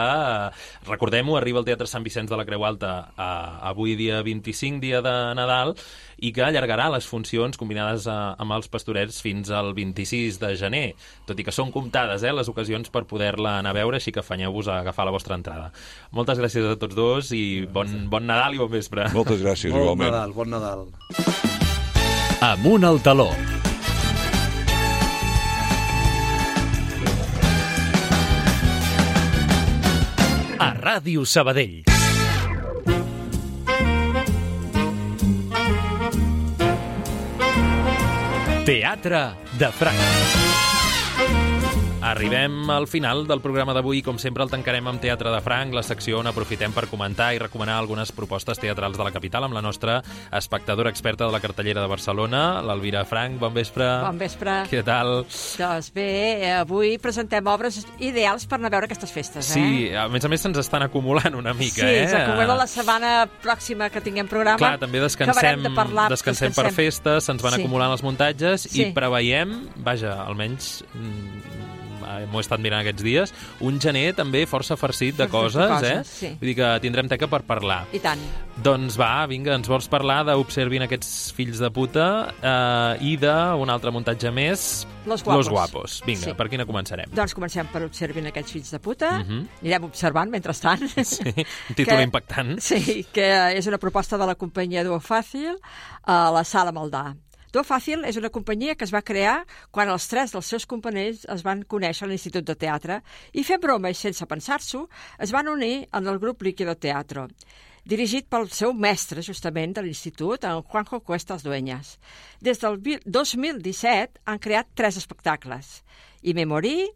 recordem-ho, arriba al Teatre Sant Vicenç de la Creu Alta a, avui dia vint-i-cinc, dia de Nadal, i que allargarà les funcions combinades a, amb els Pastorets fins al vint-i-sis de gener, tot i que són comptades eh, les ocasions per poder-la anar a veure, així que afanyeu-vos a agafar la vostra entrada. Moltes gràcies a tots dos i bon, bon Nadal i bon vespre. Moltes gràcies, bon igualment. Nadal, bon Nadal. Amunt al taló. A Ràdio Sabadell. Teatre de Franc. Arribem al final del programa d'avui. Com sempre, el tancarem amb Teatre de Franc, la secció on aprofitem per comentar i recomanar algunes propostes teatrals de la capital amb la nostra espectadora experta de la cartellera de Barcelona, l'Elvira Franc. Bon vespre. Bon vespre. Què tal? Doncs bé, avui presentem obres ideals per anar a veure aquestes festes, eh? Sí, a més a més se'ns estan acumulant una mica, sí, eh? Sí, s'acumula la setmana pròxima que tinguem programa. Clar, també descansem, de parlar, descansem, descansem per festes, se'ns van sí. acumulant els muntatges sí. i preveiem, vaja, almenys... m'ho he estat mirant aquests dies, un gener també força farcit de coses, de coses eh? Sí. Vull dir que tindrem teca per parlar. I tant. Doncs va, vinga, ens vols parlar d'Observin aquests fills de puta eh, i d'un altre muntatge més, Los Guapos. Los Guapos. Vinga, sí. per quina començarem? Doncs comencem per Observin aquests fills de puta. Uh -huh. Anirem observant mentrestant. Sí, un títol que, impactant. Sí, que és una proposta de la companyia Duo Fàcil a la Sala Maldà. Duo Fàcil és una companyia que es va crear quan els tres dels seus companys es van conèixer a l'Institut de Teatre i fent broma i sense pensar-s'ho es van unir en el grup Líquido Teatro, dirigit pel seu mestre, justament, de l'Institut, en Juanjo Cuestas Dueñas. Des del dos mil disset han creat tres espectacles. I Me Morí,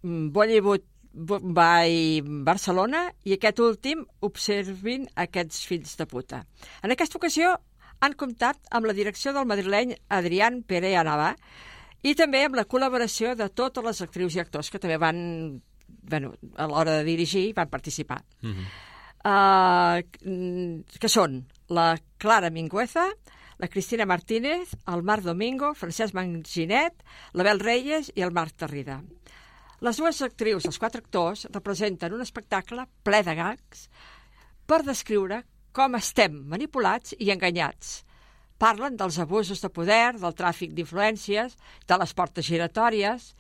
Bollywood by Barcelona i aquest últim, Observin aquests fills de puta. En aquesta ocasió han comptat amb la direcció del madrileny Adrián Perea Navà i també amb la col·laboració de totes les actrius i actors que també van, bueno, a l'hora de dirigir, van participar. Mm-hmm. uh, que són la Clara Mingueza, la Cristina Martínez, el Marc Domingo, Francesc Manginet, l'Abel Reyes i el Marc Tarrida. Les dues actrius, els quatre actors, representen un espectacle ple de gags per descriure com estem manipulats i enganyats. Parlen dels abusos de poder, del tràfic d'influències, de les portes giratòries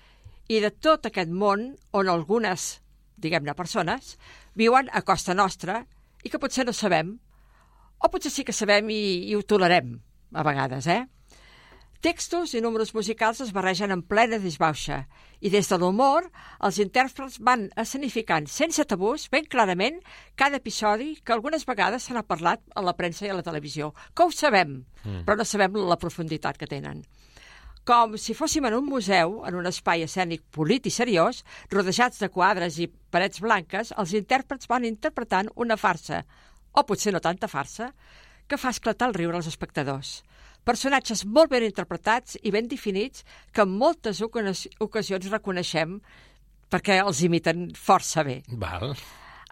i de tot aquest món on algunes, diguem-ne, persones viuen a costa nostra i que potser no sabem, o potser sí que sabem i, i ho tolerem, a vegades, eh? Textos i números musicals es barregen en plena disbauxa i des de l'humor els intèrprets van escenificant sense tabús ben clarament cada episodi que algunes vegades se n'ha parlat a la premsa i a la televisió. Que ho sabem, mm. però no sabem la profunditat que tenen. Com si fóssim en un museu, en un espai escènic polit i seriós, rodejats de quadres i parets blanques, els intèrprets van interpretant una farsa, o potser no tanta farsa, que fa esclatar el riure als espectadors. Personatges molt ben interpretats i ben definits que en moltes ocasions reconeixem perquè els imiten força bé. Val.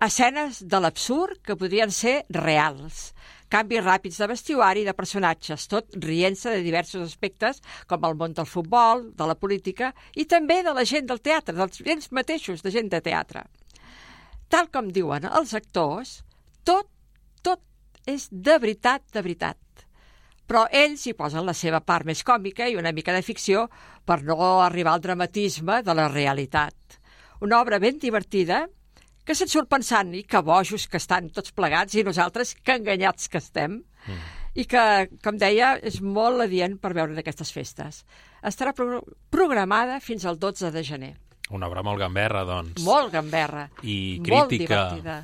Escenes de l'absurd que podrien ser reals. Canvis ràpids de vestuari i de personatges, tot rient-se de diversos aspectes com el món del futbol, de la política i també de la gent del teatre, dels ells mateixos de gent de teatre. Tal com diuen els actors, tot, tot és de veritat, de veritat. Però ells hi posen la seva part més còmica i una mica de ficció per no arribar al dramatisme de la realitat. Una obra ben divertida que se'n surt pensant i que bojos que estan tots plegats i nosaltres que enganyats que estem mm. i que, com deia, és molt adient per veure en aquestes festes. Estarà pro programada fins al dotze de gener. Una obra molt gamberra, doncs. Molt gamberra. I crítica. Molt divertida.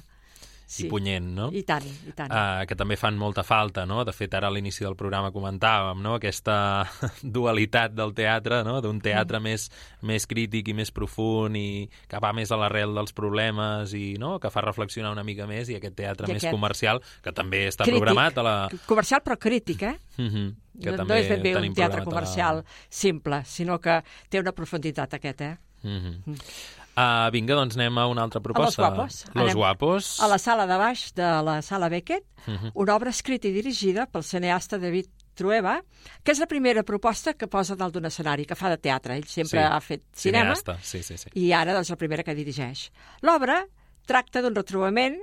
Sí. I punyent, no? I tant, i tant. Uh, que també fan molta falta, no? De fet, ara a l'inici del programa comentàvem, no? Aquesta dualitat del teatre, no? D'un teatre mm. més, més crític i més profund i que va més a l'arrel dels problemes i no? Que fa reflexionar una mica més i aquest teatre I més aquest... comercial, que també està crític. Programat a la... Comercial però crític, eh? Mm-hmm. Que no, també no és ben bé un teatre comercial la... simple, sinó que té una profunditat aquest, eh? Mm-hmm. Mm. Uh, vinga, doncs anem a una altra proposta. A Los Guapos. Los anem Guapos. A la sala de baix de la sala Beckett, uh-huh. una obra escrita i dirigida pel cineasta David Trueba, que és la primera proposta que posa dalt d'un escenari, que fa de teatre. Ell sempre Sí, ha fet cinema, cineasta, sí, sí, sí. i ara doncs, la primera que dirigeix. L'obra tracta d'un retrobament,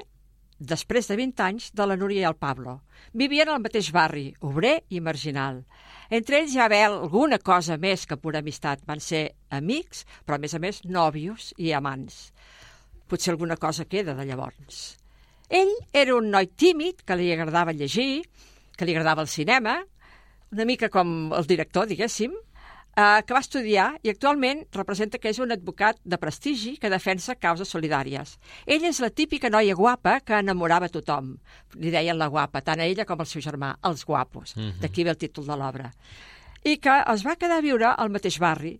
després de vint anys, de la Núria i el Pablo. Vivien al mateix barri, obrer i marginal. Entre ells hi va haver alguna cosa més que pura amistat. Van ser amics, però a més a més nòvios i amants. Potser alguna cosa queda de llavors. Ell era un noi tímid, que li agradava llegir, que li agradava el cinema, una mica com el director, diguéssim, eh, que va estudiar i actualment representa que és un advocat de prestigi que defensa causes solidàries. Ella és la típica noia guapa que enamorava tothom. Li deien la guapa, tant a ella com al seu germà, els guapos. Mm-hmm. D'aquí ve el títol de l'obra. I que es va quedar a viure al mateix barri,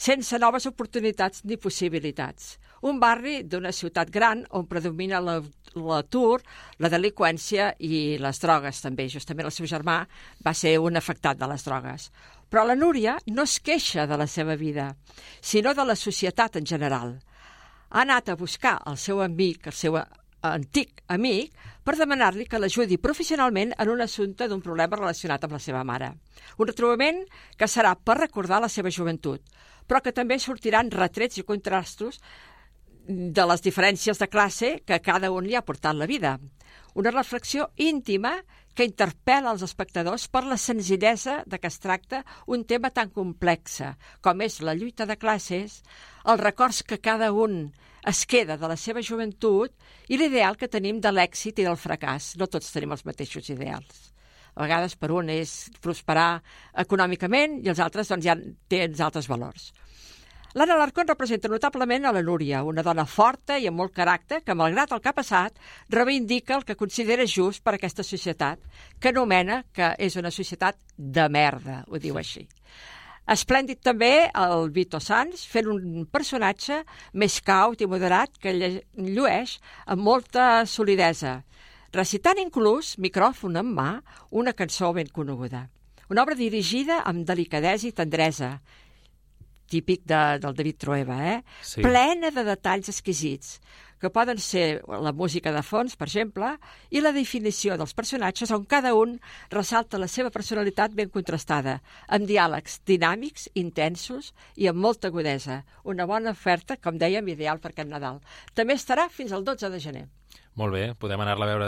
sense noves oportunitats ni possibilitats. Un barri d'una ciutat gran on predomina l'atur, la delinqüència i les drogues també. Justament el seu germà va ser un afectat de les drogues. Però la Núria no es queixa de la seva vida, sinó de la societat en general. Ha anat a buscar el seu amic, el seu antic amic, per demanar-li que l'ajudi professionalment en un assumpte d'un problema relacionat amb la seva mare. Un retrobament que serà per recordar la seva joventut, però que també sortiran retrets i contrastos de les diferències de classe que cada un li ha portat la vida. Una reflexió íntima que interpel·la els espectadors per la senzillesa de què es tracta un tema tan complex com és la lluita de classes, els records que cada un es queda de la seva joventut i l'ideal que tenim de l'èxit i del fracàs. No tots tenim els mateixos ideals. A vegades per un és prosperar econòmicament i els altres doncs, ja tenen altres valors. L'Anna Alarcón representa notablement a la Núria, una dona forta i amb molt caràcter que, malgrat el que ha passat, reivindica el que considera just per a aquesta societat, que anomena que és una societat de merda, ho diu així. Esplèndid també el Vito Sanz, fent un personatge més caut i moderat que llueix amb molta solidesa, recitant inclús, micròfon en mà, una cançó ben coneguda. Una obra dirigida amb delicadesa i tendresa, típic de, del David Trueba, eh? Sí. Plena de detalls exquisits, que poden ser la música de fons, per exemple, i la definició dels personatges on cada un ressalta la seva personalitat ben contrastada, amb diàlegs dinàmics, intensos i amb molta agudesa. Una bona oferta, com dèiem, ideal per aquest Nadal. També estarà fins al dotze de gener. Molt bé, podem anar-la a veure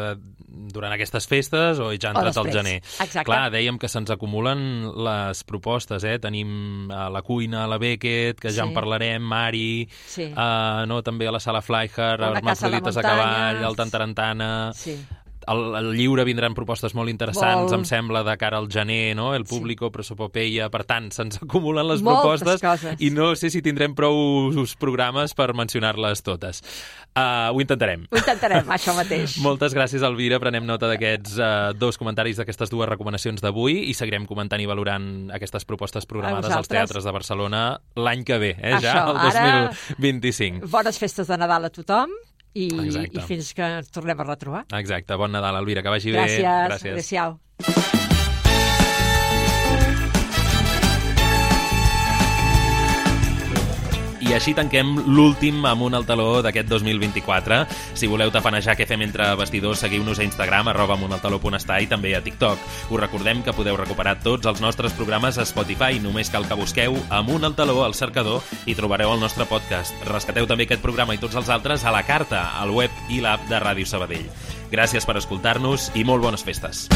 durant aquestes festes o ja ha entrat al gener. Exacte. Clar, dèiem que se'ns acumulen les propostes, eh? Tenim a la cuina, a la Beckett, que ja sí. en parlarem, Mari, sí. uh, no, també a la Sala Flyher, els Marcelites a cavall, el Tantarantana... Sí. Al, al lliure vindran propostes molt interessants, molt. Em sembla, de cara al gener, no? El Público, sí. Prosopopeia, per tant, se'ns acumulen les moltes propostes coses. I no sé si tindrem prou programes per mencionar-les totes. Uh, ho intentarem. Ho intentarem, això mateix. Moltes gràcies, Elvira. Prenem nota d'aquests uh, dos comentaris, d'aquestes dues recomanacions d'avui i seguirem comentant i valorant aquestes propostes programades als teatres de Barcelona l'any que ve, eh? Això, ja, el dos mil vint-i-cinc. Bones festes de Nadal a tothom. I, i fins que ens tornem a retrobar. Exacte. Bon Nadal, Elvira, que vagi Gràcies. bé. Gràcies. Adéu-siau. I així tanquem l'últim Amunt al Taló d'aquest dos mil vint-i-quatre. Si voleu tafanejar què fem entre vestidors, seguiu-nos a Instagram, arroba amuntaltaló.està i també a TikTok. Us recordem que podeu recuperar tots els nostres programes a Spotify. Només cal que busqueu Amunt al Taló al cercador i trobareu el nostre podcast. Rescateu també aquest programa i tots els altres a la carta, al web i l'app de Ràdio Sabadell. Gràcies per escoltar-nos i molt bones festes.